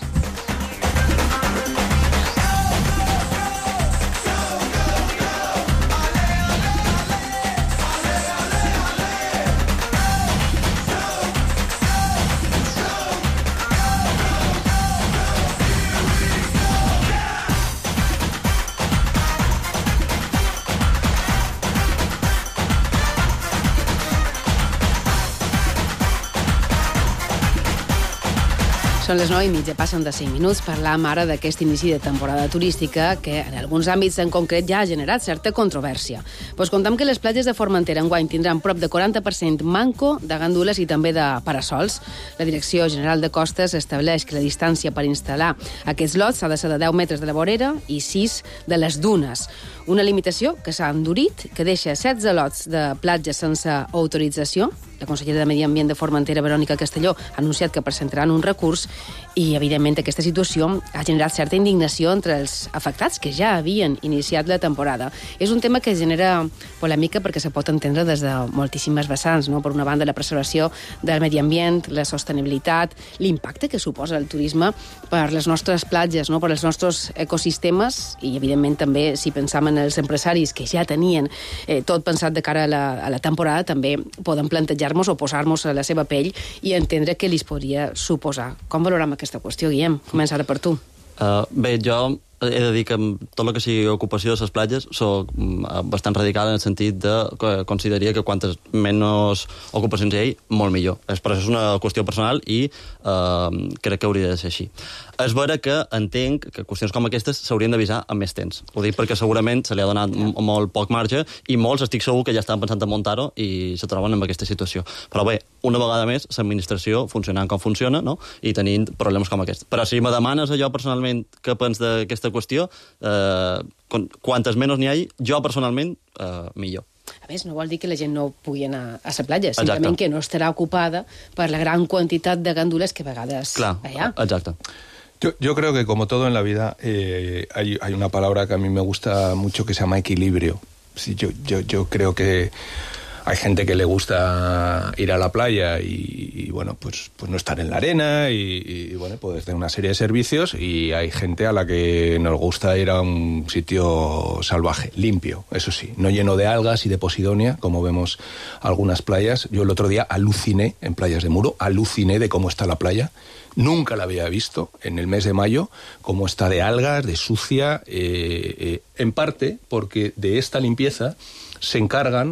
Són les 9:30, passen de 5 minuts. Parlam ara d'aquest inici de temporada turística que en alguns àmbits en concret ja ha generat certa controvèrsia. Pues contam que les platges de Formentera enguany tindran prop de 40% manco de gandules i també de parasols. La Direcció General de Costes estableix que la distància per instal·lar aquests lots ha de ser de 10 metres de la vorera i 6 de les dunes. Una limitació que s'ha endurit, que deixa 16 lots de platges sense autorització. La consellera de Medi Ambient de Formentera, Verònica Castelló, ha anunciat que presentaran un recurs i, evidentment, aquesta situació ha generat certa indignació entre els afectats que ja havien iniciat la temporada. És un tema que genera polèmica perquè se pot entendre des de moltíssimes vessants, no? Per una banda, la preservació del medi ambient, la sostenibilitat, l'impacte que suposa el turisme per les nostres platges, no? Per els nostres ecosistemes i, evidentment, també, si pensam en els empresaris que ja tenien tot pensat de cara a la temporada, també poden plantejar-nos o posar-nos a la seva pell i entendre què li podria suposar. Com valorem aquesta qüestió, Guillem? Comença ara per tu. Bé, jo he de dir que tot el que sigui ocupació de les platges soc bastant radical en el sentit que consideraria que quantes menys ocupacions hi ha, molt millor. Però això és una qüestió personal i crec que hauria de ser així. És vera que entenc que qüestions com aquestes s'haurien d'avisar amb més temps. Ho dic perquè segurament se li ha donat molt poc marge i molts estic segur que ja estan pensant en muntar-ho i se troben en aquesta situació. Però bé, una vegada més, l'administració funcionant com funciona, no? I tenint problemes com aquests. Però si me demanes allò personalment què pens d'aquesta qüestió, quantes menys n'hi hagi, jo personalment, millor. A més, no vol dir que la gent no pugui anar a la platja, simplement que no estarà ocupada per la gran quantitat de gandules que a vegades hi ha. Exacte. Yo creo que, como todo en la vida, hay una palabra que a mí me gusta mucho que se llama equilibrio. Sí, yo creo que hay gente que le gusta ir a la playa y bueno, pues no estar en la arena y bueno, pues de una serie de servicios, y hay gente a la que nos gusta ir a un sitio salvaje, limpio, eso sí, no lleno de algas y de posidonia, como vemos algunas playas. Yo el otro día aluciné en Playas de Muro, aluciné de cómo está la playa. Nunca la había visto en el mes de mayo, cómo está de algas, de sucia, en parte porque de esta limpieza se encargaban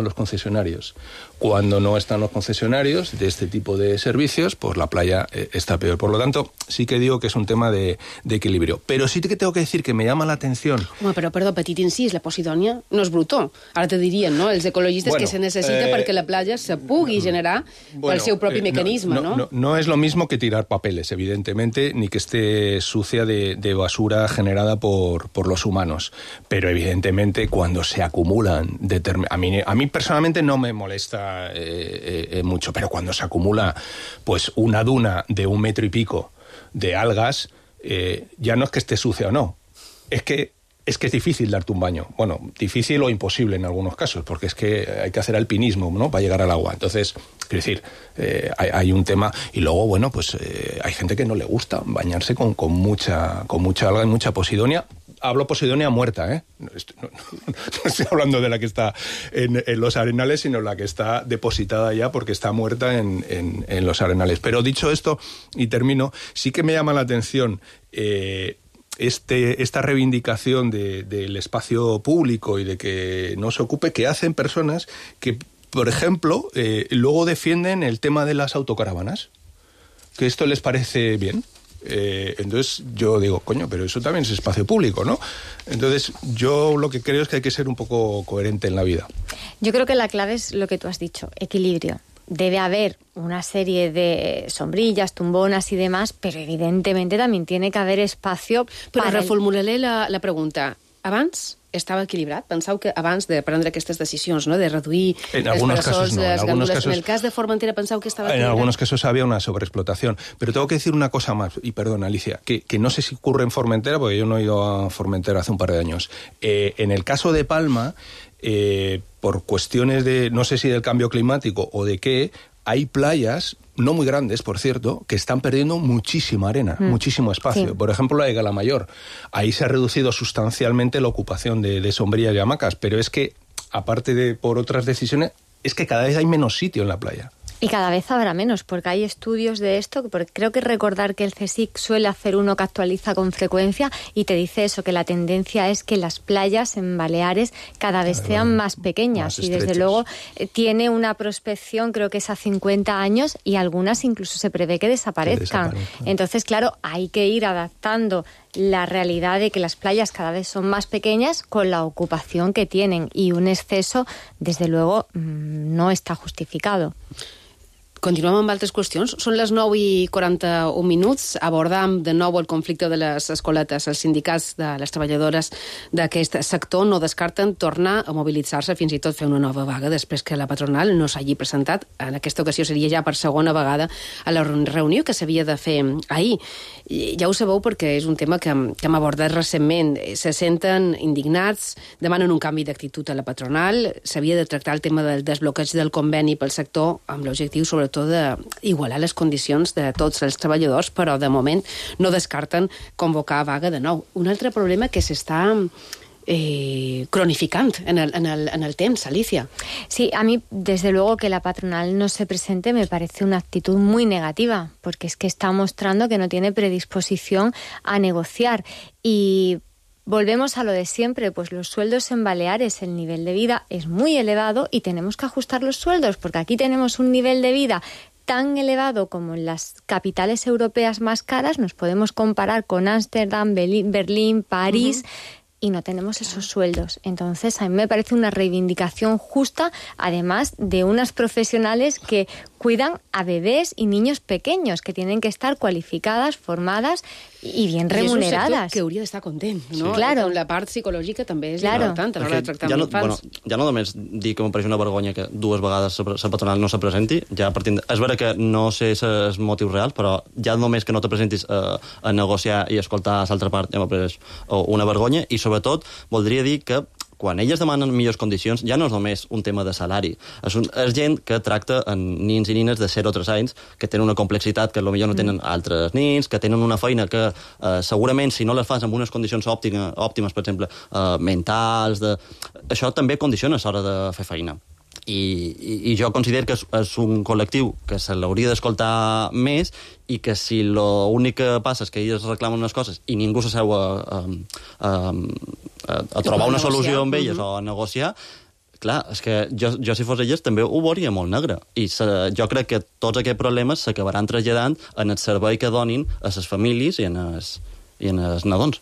los concesionarios. Cuando no están los concesionarios de este tipo de servicios, pues la playa está peor. Por lo tanto, sí que digo que es un tema de equilibrio. Pero sí que tengo que decir que me llama la atención... Home, però, perdó, petit incís, la posidònia no és brutó. Ara te dirien, no?, els ecologistes que se necessita perquè la playa se pugui generar pel seu propi mecanisme, ¿no? No es lo mismo que tirar papeles, evidentemente, ni que esté sucia de basura generada por los humanos. Pero, evidentemente, cuando se acumulan... A mí personalmente no me molesta mucho, pero cuando se acumula pues una duna de 1 metro y pico de algas, ya no es que esté sucia o no, es que es difícil darte un baño. Bueno, difícil o imposible en algunos casos, porque es que hay que hacer alpinismo, ¿no?, para llegar al agua. Entonces, quiero decir, hay un tema. Y luego, bueno, pues hay gente que no le gusta bañarse con mucha alga y mucha posidonia. hablo Posidonia muerta, ¿eh? No estoy hablando de la que está en los Arenales, sino la que está depositada ya porque está muerta en los Arenales. Pero dicho esto, y termino, sí que me llama la atención esta reivindicación del espacio público y de que no se ocupe, que hacen personas que, por ejemplo, luego defienden el tema de las autocaravanas, que esto les parece bien. Entonces yo digo, coño, pero eso también es espacio público, ¿no? Entonces yo lo que creo es que hay que ser un poco coherente en la vida. Yo creo que la clave es lo que tú has dicho, equilibrio. Debe haber una serie de sombrillas, tumbonas y demás, pero evidentemente también tiene que haver espacio Però reformularé la pregunta. Abans estava equilibrat? Penseu que abans de prendre aquestes decisions, no? De reduir en algunos casos no. En el cas de Formentera penseu que estava equilibrat? En algunos casos había una sobreexplotación. Pero tengo que decir una cosa más, y perdón, Alicia, que no sé si ocurre en Formentera, porque yo no he ido a Formentera hace un par de años. En el caso de Palma, por cuestiones de, no sé si del cambio climático o de qué, hay playas, no muy grandes, por cierto, que están perdiendo muchísima arena, muchísimo espacio. Sí. Por ejemplo, la de Galamayor. Ahí se ha reducido sustancialmente la ocupación de sombrillas y hamacas, pero es que, aparte de por otras decisiones, es que cada vez hay menos sitio en la playa. Y cada vez habrá menos, porque hay estudios de esto, porque creo que recordar que el CSIC suele hacer uno que actualiza con frecuencia y te dice eso, que la tendencia es que las playas en Baleares cada vez sean más pequeñas y desde luego tiene una prospección, creo que es a 50 años y algunas incluso se prevé que desaparezcan. Entonces, claro, hay que ir adaptando la realidad de que las playas cada vez son más pequeñas con la ocupación que tienen y un exceso, desde luego, no está justificado. Continuem amb altres qüestions. Són les 9:41 minuts. Abordam de nou el conflicte de les escoletes. Els sindicats de les treballadores d'aquest sector no descarten tornar a mobilitzar-se, fins i tot fer una nova vaga, després que la patronal no s'hagi presentat. En aquesta ocasió seria ja per segona vegada a la reunió que s'havia de fer ahir. Ja ho sabeu perquè és un tema que hem abordat recentment. Se senten indignats, demanen un canvi d'actitud a la patronal. S'havia de tractar el tema del desbloqueig del conveni pel sector amb l'objectiu, sobretot, d'igualar les condicions de tots els treballadors, però de moment no descarten convocar vaga de nou. Un altre problema que s'està cronificant en el temps, Alicia. Sí, a mí desde luego que la patronal no se presente me parece una actitud muy negativa, porque es que está mostrando que no tiene predisposición a negociar y volvemos a lo de siempre, pues los sueldos en Baleares, el nivel de vida es muy elevado y tenemos que ajustar los sueldos, porque aquí tenemos un nivel de vida tan elevado como en las capitales europeas más caras, nos podemos comparar con Ámsterdam, Berlín, París, y no tenemos esos sueldos. Entonces, a mí me parece una reivindicación justa, además de unas profesionales que cuidan a bebés y niños pequeños, que tienen que estar cualificadas, formadas i bien remunerades. És un sector que hauria d'estar content, no? Sí. Claro. La part psicològica també és important a l'hora de tractar amb infants. Ja no només dir que m'apareix una vergonya que dues vegades la patronal no se presenti, ja partint... És vera que no sé els motius reals, però ja només que no te presentis a negociar i escoltar l'altra part ja m'apareix una vergonya, i sobretot voldria dir que quan elles demanen millors condicions, ja no és només un tema de salari. És gent que tracta amb nins i nines de 0 o 3 anys, que tenen una complexitat que potser no tenen altres nins, que tenen una feina que segurament, si no les fas amb unes condicions òptimes, per exemple, mentals, això també condiciona a l'hora de fer feina. I jo considero que és un col·lectiu que se l'hauria d'escoltar més i que si l'únic que passa és que elles reclamen unes coses i ningú s'asseu a trobar una solució amb elles o a negociar, clar, és que jo si fos elles també ho veuria molt negre. I jo crec que tots aquests problemes s'acabaran traslladant en el servei que donin a les famílies i en els nadons.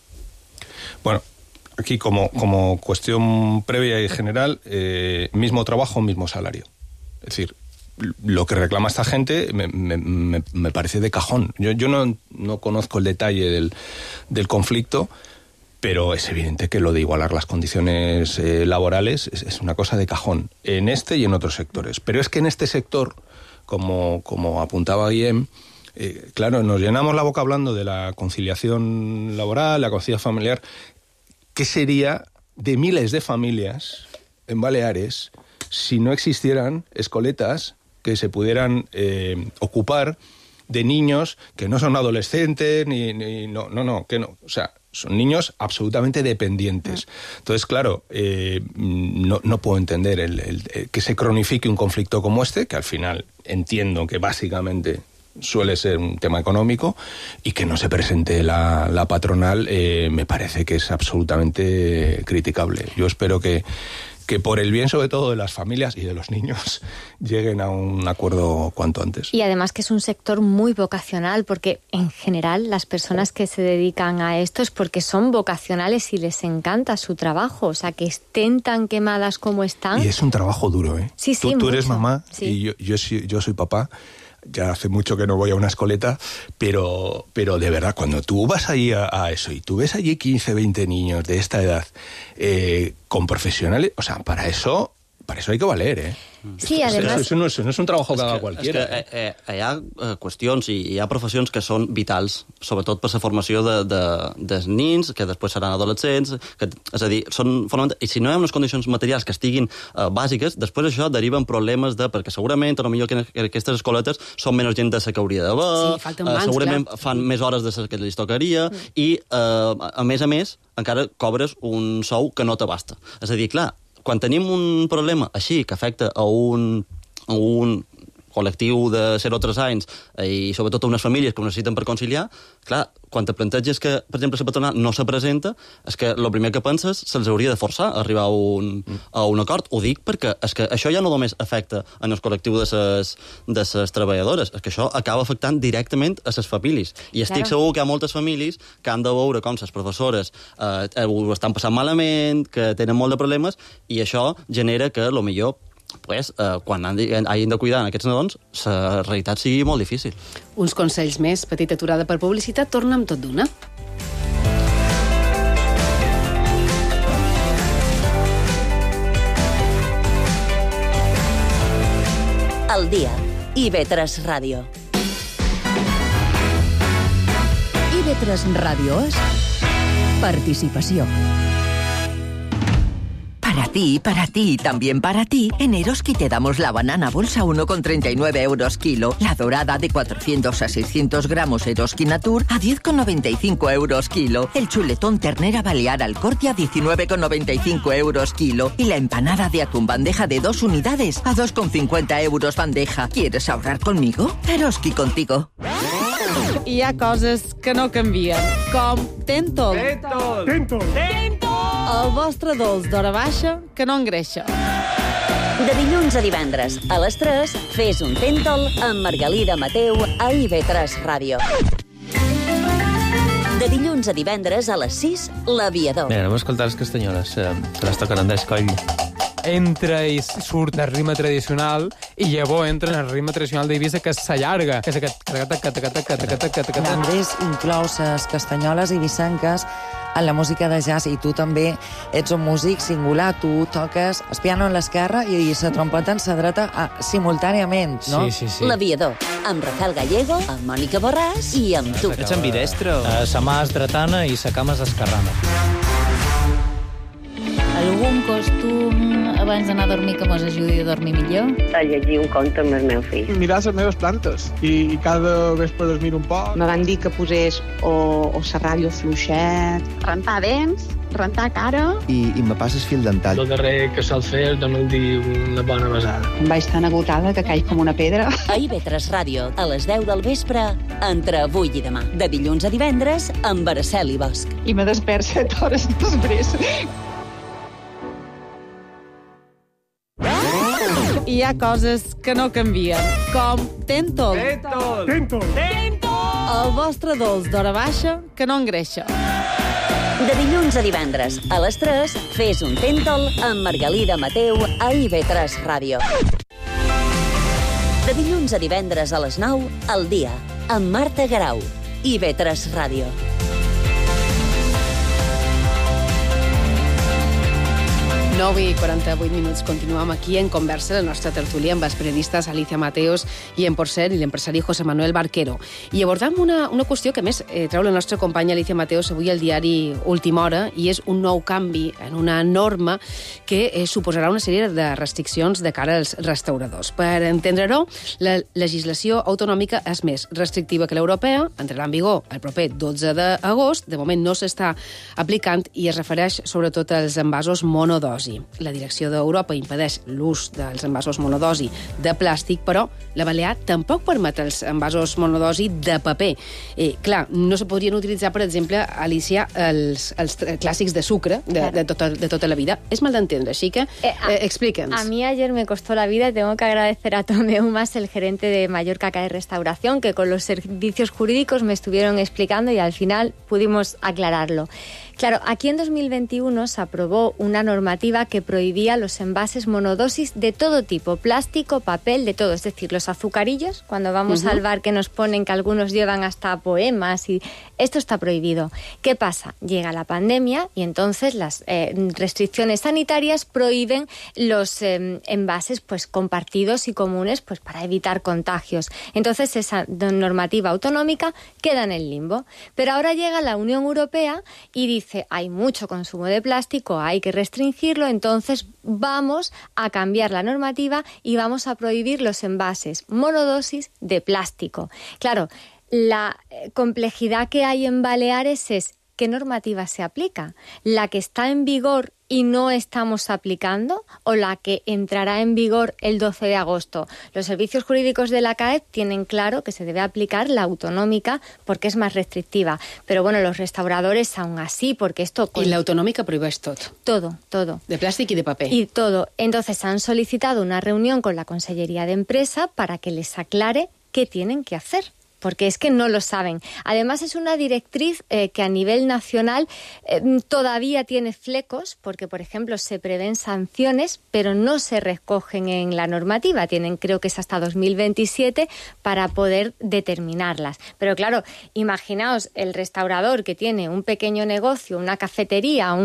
Bueno, aquí como cuestión previa y general, mismo trabajo, mismo salario. Es decir, lo que reclama esta gente me parece de cajón. Yo no conozco el detalle del conflicto, pero es evidente que lo de igualar las condiciones laborales es una cosa de cajón, en este y en otros sectores. Pero es que en este sector, como apuntaba Guillem, claro, nos llenamos la boca hablando de la conciliación laboral, la conciliación familiar. ¿Qué sería de miles de familias en Baleares si no existieran escoletas que se pudieran ocupar de niños que no son adolescentes, que no? O sea, Son niños absolutamente dependientes. Entonces, claro, no puedo entender que se cronifique un conflicto como este, que al final entiendo que básicamente suele ser un tema económico, y que no se presente la patronal me parece que es absolutamente criticable. Yo espero que por el bien, sobre todo, de las familias y de los niños, lleguen a un acuerdo cuanto antes. Y además que es un sector muy vocacional, porque en general las personas que se dedican a esto es porque son vocacionales y les encanta su trabajo. O sea, que estén tan quemadas como están. Y es un trabajo duro, ¿eh? Sí, sí, tú eres mucho. mamá, Sí. y yo soy papá. Ya hace mucho que no voy a una escoleta, pero de verdad, cuando tú vas allí a eso y tú ves allí 15, 20 niños de esta edad con profesionales, o sea, para eso hay que valer, ¿eh? Sí, además... Eso no és un trabajo que haga qualquiera. És que hi ha qüestions i hi ha professions que són vitals, sobretot per la formació dels nins, que després seran adolescents, és a dir, i si no hi ha unes condicions materials que estiguin bàsiques, després això deriva en problemes perquè segurament, o millor que aquestes escoletes són menys gent de la que hauria d'haver, segurament fan més hores de les que els tocaria, i a més, encara cobres un sou que no t'abasta. És a dir, clar, quan tenim un problema així que afecta a un col·lectiu de 0 a 3 anys i sobretot a unes famílies que ho necessiten per conciliar, clar, quan te planteges que, per exemple, la patronal no se presenta, és que el primer que penses se'ls hauria de forçar a arribar a un acord. Ho dic perquè és que això ja no només afecta en el col·lectiu de les treballadores, és que això acaba afectant directament a les famílies. I estic segur que hi ha moltes famílies que han de veure com les professores ho estan passant malament, que tenen molt de problemes, i això genera que, potser, quan hagin de cuidar aquests nadons, la realitat sigui molt difícil. Uns consells més, petita aturada per publicitat, torna amb tot d'una. El dia. IB3 Ràdio. IB3 Ràdio és participació. Para ti, también para ti, en Eroski te damos la banana bolsa 1,39 euros kilo, la dorada de 400 a 600 gramos Eroski Natur a 10,95 euros kilo, el chuletón ternera balear al corte a 19,95 euros kilo y la empanada de atún bandeja de 2 unidades a 2,50 euros bandeja. ¿Quieres ahorrar conmigo? Eroski contigo. Hi ha coses que no canvien, com Tentol. Tentol. El vostre dolç d'hora baixa que no engreixa. De dilluns a divendres, a les 3, fes un Tentol amb Margalida Mateu a IB3 Ràdio. De dilluns a divendres, a les 6, L'Aviador. Bé, anem a escoltar les castanyoles, que les toquen en d'escoll. Entra i surt el ritme tradicional i llavors entra en el ritme tradicional d'Eivissa, que s'allarga, que és aquest... Andrés inclou les castanyoles eivissenques en la música de jazz, i tu també ets un músic singular. Tu toques el piano en l'esquerra i la trompeta en la dreta simultàniament, no? Sí. L'Aviador, amb Rafael Gallego, amb Mònica Borràs i amb tu. Ets ambidestre? Sa mà és dretana i sa cama és esquerrana. Algun costum abans d'anar a dormir que mos ajudi a dormir millor? A llegir un conte amb el meu fill. Mirar les meves plantes i cada vespre dormir un poc. Me van dir que posés o la ràdio fluixet. Rentar dents, rentar cara. I me passes fil dental. El darrer que sol fer és donar-li una bona besada. Em vaig tan agotada que caig com una pedra. A IB3 Ràdio, a les 10 del vespre, entre avui i demà. De dilluns a divendres, amb Araceli Bosch. I me despert 7 hores després. Hi ha coses que no canvien, com Tentol. Tentol. El vostre dolç d'hora baixa que no engreixa. De dilluns a divendres, a les 3, fes un Tentol amb Margalida Mateu a IB3 Ràdio. De dilluns a divendres a les 9, El dia, amb Marta Garau. IB3 Ràdio. 9:48. Continuem aquí en conversa la nostra tertúlia amb els periodistes Alicia Mateos i en Porcel i l'empresari José Manuel Barquero. I abordam una qüestió que, més, treu la nostra companya Alicia Mateos avui al diari Última Hora, i és un nou canvi en una norma que suposarà una sèrie de restriccions de cara als restauradors. Per entendre-ho, la legislació autonòmica és més restrictiva que l'europea, entrarà en vigor el proper 12 d'agost, de moment no s'està aplicant i es refereix sobretot als envasos monodosi. La direcció d'Europa impedeix l'ús dels envasos monodosi de plàstic, però la Balear tampoc permet els envasos monodosi de paper. Clar, no se podrien utilitzar, per exemple, Alicia, els clàssics de sucre de tota la vida. És mal d'entendre, així que explica'ns. A mí ayer me costó la vida y tengo que agradecer a Tomeu Mas, el gerente de Mallorca Cae Restauración, que con los servicios jurídicos me estuvieron explicando y al final pudimos aclararlo. Claro, aquí en 2021 se aprobó una normativa que prohibía los envases monodosis de todo tipo, plástico, papel, de todo. Es decir, los azucarillos, cuando vamos al bar que nos ponen que algunos llevan hasta poemas, y esto está prohibido. ¿Qué pasa? Llega la pandemia y entonces las restricciones sanitarias prohíben los envases pues compartidos y comunes pues para evitar contagios. Entonces esa normativa autonómica queda en el limbo. Pero ahora llega la Unión Europea y dice: hay mucho consumo de plástico, hay que restringirlo, entonces vamos a cambiar la normativa y vamos a prohibir los envases monodosis de plástico. Claro, la complejidad que hay en Baleares es ¿qué normativa se aplica? ¿La que está en vigor y no estamos aplicando, o la que entrará en vigor el 12 de agosto? Los servicios jurídicos de la CAEP tienen claro que se debe aplicar la autonómica porque es más restrictiva. Pero bueno, los restauradores aún así, porque esto... Y la autonómica prohibeix tot. Todo. De plàstic i de paper. Y todo. Entonces han solicitado una reunión con la Consellería de Empresa para que les aclare qué tienen que hacer, porque es que no lo saben. Además, es una directriz que a nivel nacional todavía tiene flecos, porque, por ejemplo, se prevén sanciones, pero no se recogen en la normativa. Tienen, creo que es hasta 2027, para poder determinarlas. Pero claro, imaginaos el restaurador que tiene un pequeño negocio, una cafetería,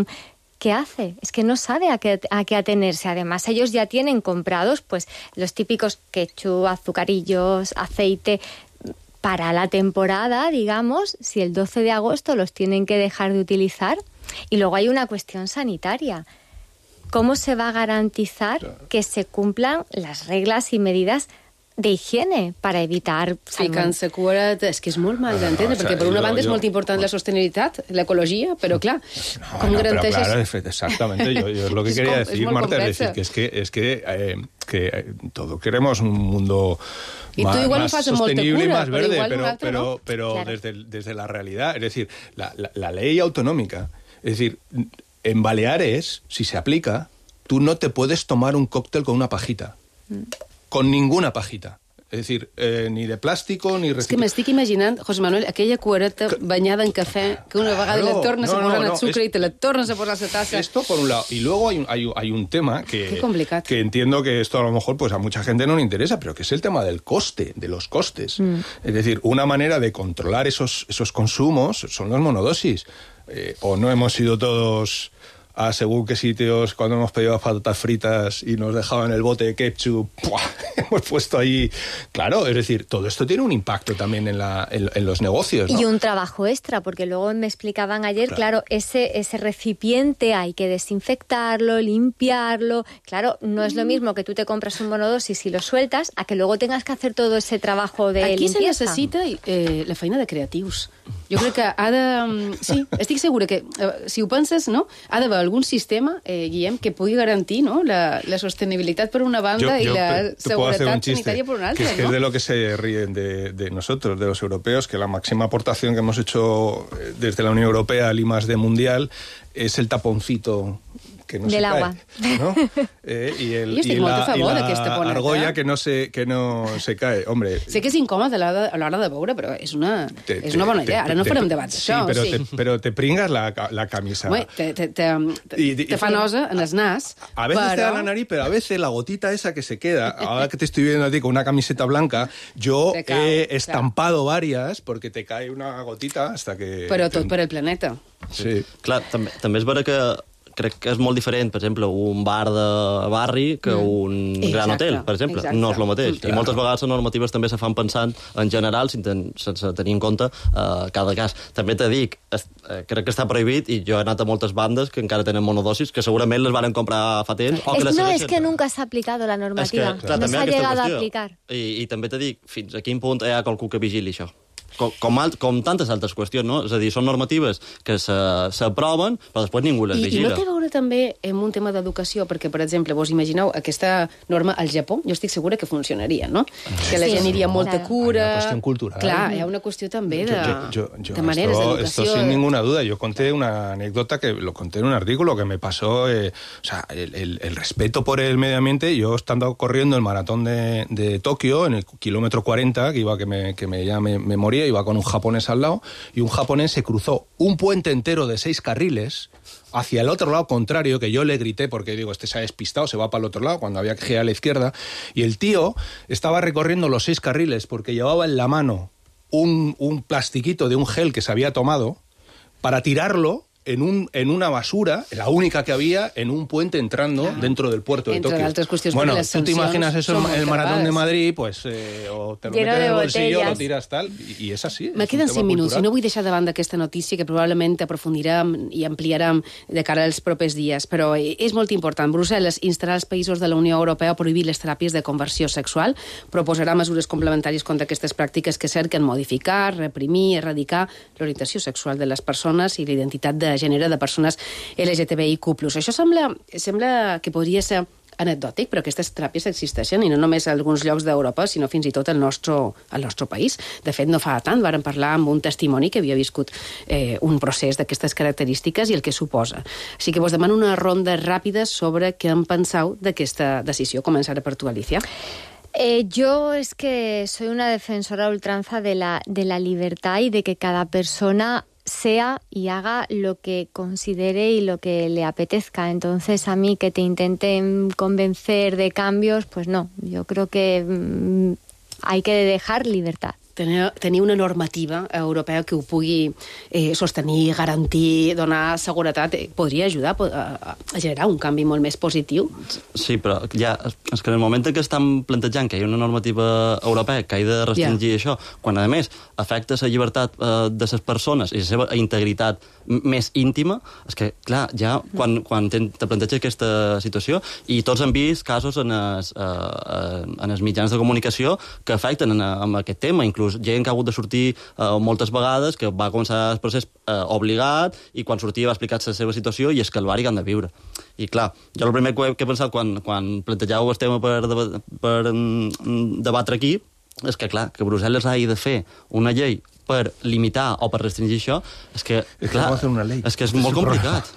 ¿qué hace? Es que no sabe a qué atenerse. Además, ellos ya tienen comprados pues los típicos ketchup, azucarillos, aceite... Para la temporada, digamos, si el 12 de agosto los tienen que dejar de utilizar. Y luego hay una cuestión sanitaria. ¿Cómo se va a garantizar que se cumplan las reglas y medidas de higiene para evitar... Ficant-se cura, és que és molt mal d'entendre, perquè per una banda és molt important la sostenibilitat, l'ecologia, però clar, com garanteixes... Claro, exactamente, yo es lo que quería decir, Marta, es decir, que es que todo queremos un mundo más sostenible y más verde, pero desde la realidad, es decir, la ley autonómica, es decir, en Baleares, si se aplica, tú no te puedes tomar un cóctel con una pajita. Con ninguna pajita. És a dir, ni de plàstico ni... És que m'estic imaginant, José Manuel, aquella cuereta banyada en café, que una vegada la tornes a posar en el sucre y te la tornes a posar a la taza. Esto por un lado. Y luego hay un tema que entiendo que esto a lo mejor pues a mucha gente no le interesa, pero que es el tema del coste, de los costes. Es decir, una manera de controlar esos consumos son los monodosis. O no hemos ido todos... a según qué sitios, cuando hemos pedido patatas fritas y nos dejaban el bote de ketchup, ¡pua! Hemos puesto ahí... Claro, es decir, todo esto tiene un impacto también en los negocios, ¿no? Y un trabajo extra, porque luego me explicaban ayer, claro, ese recipiente hay que desinfectarlo, limpiarlo. Claro, no es lo mismo que tú te compras un monodosis y lo sueltas, a que luego tengas que hacer todo ese trabajo de limpieza. Aquí se necessita la feina de creatius. Jo crec que ha de... Sí, estic segura que, si ho penses, no? Ha d'haver algún sistema, Guillem, que pugui garantir, ¿no?, la sostenibilitat per una banda y la seguretat sanitaria por una altra, que ¿no? Es de lo que se ríen de nosotros, de los europeos, que la máxima aportación que hemos hecho desde la Unión Europea al I+D mundial es el taponcito que no del se agua. Cae, ¿no? Y la argolla que no se cae. Hombre, sé que és incòmode a l'hora de veure, però és una bona idea. Ara no farem debats d'això. Pero te pringas la camisa. Te fa nosa en el nas. A veces te da la nariz, pero a veces la gotita esa que se queda, ahora que te estoy viendo a ti con una camiseta blanca, yo he estampado varias porque te cae una gotita hasta que... Però tot per el planeta. Sí. Clar, també és vera que crec que és molt diferent, per exemple, un bar de barri que un gran hotel, per exemple. No és el mateix. I moltes vegades les normatives també se fan pensant en general, sense tenir en compte cada cas. També te dic, crec que està prohibit, i jo he anat a moltes bandes que encara tenen monodosis, que segurament les van comprar fa temps. Es que nunca s'ha aplicado la normativa. No s'ha llegat a aplicar. I també te dic, fins a quin punt hi ha qualcú que vigili això. Com tantes altres qüestions, no? És a dir, són normatives que s'aproven, però després ningú les vigila. I no té a veure també amb un tema d'educació, perquè, per exemple, vos imagineu aquesta norma al Japó, jo estic segura que funcionaria, no? Que la gent aniria amb molta cura... Hay una cuestión cultural. Clar, hi ha una qüestió també de maneres d'educació. Esto sin ninguna duda. Yo conté una anécdota que lo conté en un artículo que me pasó, o sea, el respeto por el medio ambiente. Yo estando corriendo el maratón de Tokio, en el kilómetro 40, que iba ya me moría, iba con un japonés al lado, y un japonés se cruzó un puente entero de 6 carriles hacia el otro lado contrario, que yo le grité porque digo, este se ha despistado, se va para el otro lado, cuando había que girar a la izquierda, y el tío estaba recorriendo los 6 carriles porque llevaba en la mano un plastiquito de un gel que se había tomado para tirarlo en una basura, la única que había, en un puente entrando dentro del puerto de Tokio. Bueno, tú te imaginas eso en el maratón de Madrid, pues o te lo metes en el bolsillo, lo tiras tal, i és així. Me queden 5 minuts i no vull deixar de banda aquesta notícia que probablement aprofundirem i ampliarem de cara als propers dies, però és molt important. Brussel·les instarà als països de la Unió Europea a prohibir les teràpies de conversió sexual, proposarà mesures complementàries contra aquestes pràctiques que cerquen modificar, reprimir, erradicar l'orientació sexual de les persones i la identitat de gènere de persones LGTBIQ+. Això sembla que podria ser anecdòtic, però aquestes teràpies existeixen, i no només a alguns llocs d'Europa, sinó fins i tot al nostre país. De fet, no fa tant vàrem parlar amb un testimoni que havia viscut un procés d'aquestes característiques i el que suposa. Així que vos demano una ronda ràpida sobre què en penseu d'aquesta decisió. Començaré per tu, Alicia. Yo es que soy una defensora a ultranza de la libertad y de que cada persona sea y haga lo que considere y lo que le apetezca. Entonces, a mí que te intenten convencer de cambios, pues no. Yo creo que hay que dejar libertad. Tenir una normativa europea que ho pugui sostenir, garantir, donar seguretat, podria ajudar a generar un canvi molt més positiu? Sí, però ja, és que en el moment en què estan plantejant que hi ha una normativa europea que ha de restringir això, quan a més afecta la llibertat de les persones i la seva integritat més íntima, és que, clar, ja quan te planteja aquesta situació, i tots hem vist casos en els mitjans de comunicació que afecten amb aquest tema, inclús gent que ha hagut de sortir moltes vegades, que va començar el procés obligat, i quan sortia va explicar la seva situació i el calvari que han de viure. I clar, jo el primer que he pensat quan plantejàveu el tema per debatre aquí és que, clar, que Brussel·les hagi de fer una llei per limitar o per restringir això, és que, clar, és que és molt complicat.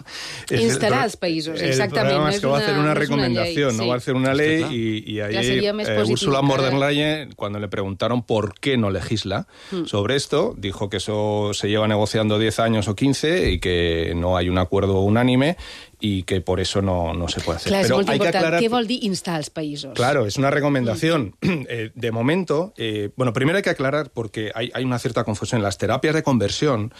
Instarà els països, exactament. El problema es que va a hacer una recomendación, no va a hacer una ley, y ahí Ursula von der Leyen, cuando le preguntaron por qué no legisla sobre esto, dijo que eso se lleva negociando 10 años o 15 y que no hay un acuerdo unánime y que por eso no se puede hacer. Clar, és molt important. Què vol dir instar als països? Claro, es una recomendación. De momento, bueno, primero hay que aclarar, porque hay una cierta confusión. Las terapias de conversión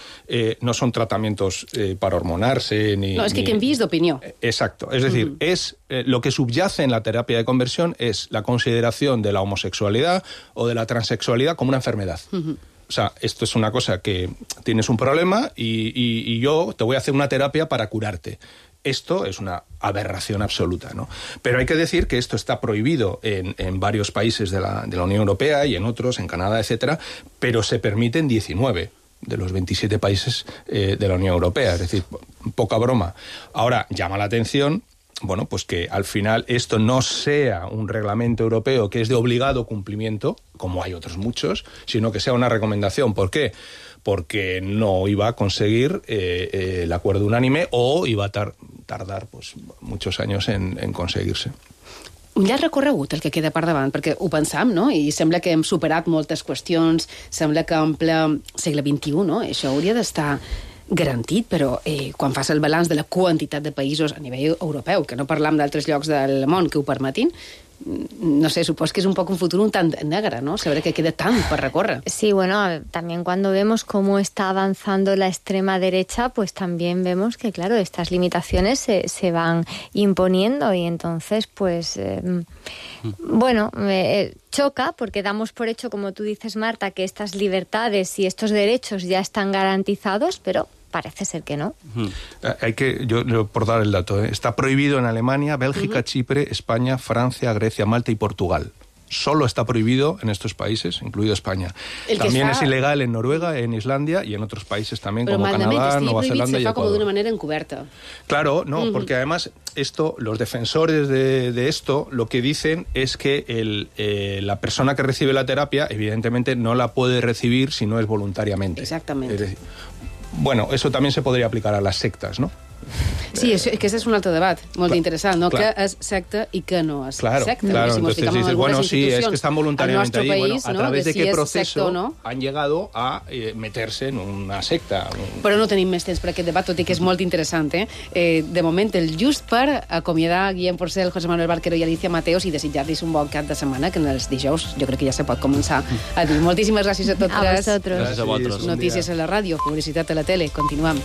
no son tratamientos para hormonarse ni... No, es que canviïs d'opinió. Exacto. Es decir, es lo que subyace en la terapia de conversión es la consideración de la homosexualidad o de la transexualidad como una enfermedad. O sea, esto es una cosa que tienes un problema y yo te voy a hacer una terapia para curarte. Esto es una aberración absoluta, ¿no? Pero hay que decir que esto está prohibido en varios países de la Unión Europea y en otros, en Canadá, etcétera, pero se permite en 19 de los 27 países de la Unión Europea. Es decir, poca broma. Ahora, llama la atención, bueno, pues que al final esto no sea un reglamento europeo que es de obligado cumplimiento, como hay otros muchos, sino que sea una recomendación. ¿Por qué? Porque no iba a conseguir el acuerdo unánime o iba a tardar pues, muchos años en conseguirse. Un llarg recorregut el que queda per davant, perquè ho pensam, no? I sembla que hem superat moltes qüestions, sembla que en ple segle XXI, no? Això hauria d'estar garantit, però quan fas el balanç de la quantitat de països a nivell europeu, que no parlam d'altres llocs del món que ho permetin, no sé, supos que es un poco un futuro un tant negre, ¿no? Saber que queda tant per recórrer. Sí, bueno, también cuando vemos cómo está avanzando la extrema derecha, pues también vemos que, claro, estas limitaciones se van imponiendo y entonces, pues, bueno, choca porque damos por hecho, como tú dices, Marta, que estas libertades y estos derechos ya están garantizados, pero parece ser que no. Yo por dar el dato, está prohibido en Alemania, Bélgica, Chipre, España, Francia, Grecia, Malta y Portugal. Solo está prohibido en estos países, incluido España. También es ilegal en Noruega, en Islandia y en otros países también, como Canadá, Nueva Zelanda y Ecuador. Se fa como de una manera encubierta. Claro, no, porque además los defensores de esto lo que dicen es que la persona que recibe la terapia evidentemente no la puede recibir si no es voluntariamente. Exactamente. Es decir, bueno, eso también se podria aplicar a les sectes, no? Sí, aquest és un altre debat, molt interessant, no? Clar. Què és secta i què no és claro, secta. Claro, si entonces dices, bueno, sí, es que están voluntariamente ahí. País, bueno, a través de qué proceso no? han llegado a meterse en una secta. Però no tenim més temps per aquest debat, tot i que és molt interessant. De moment, el just per acomiadar Guillem Porcel, José Manuel Barquero i Alicia Mateos i desitjar-los un bon cap de setmana, que en els dijous jo crec que ja se pot començar a dir. Moltíssimes gràcies a tots. A vosaltres. Gràcies a vosaltres. Notícies a la ràdio, publicitat a la tele. Continuem.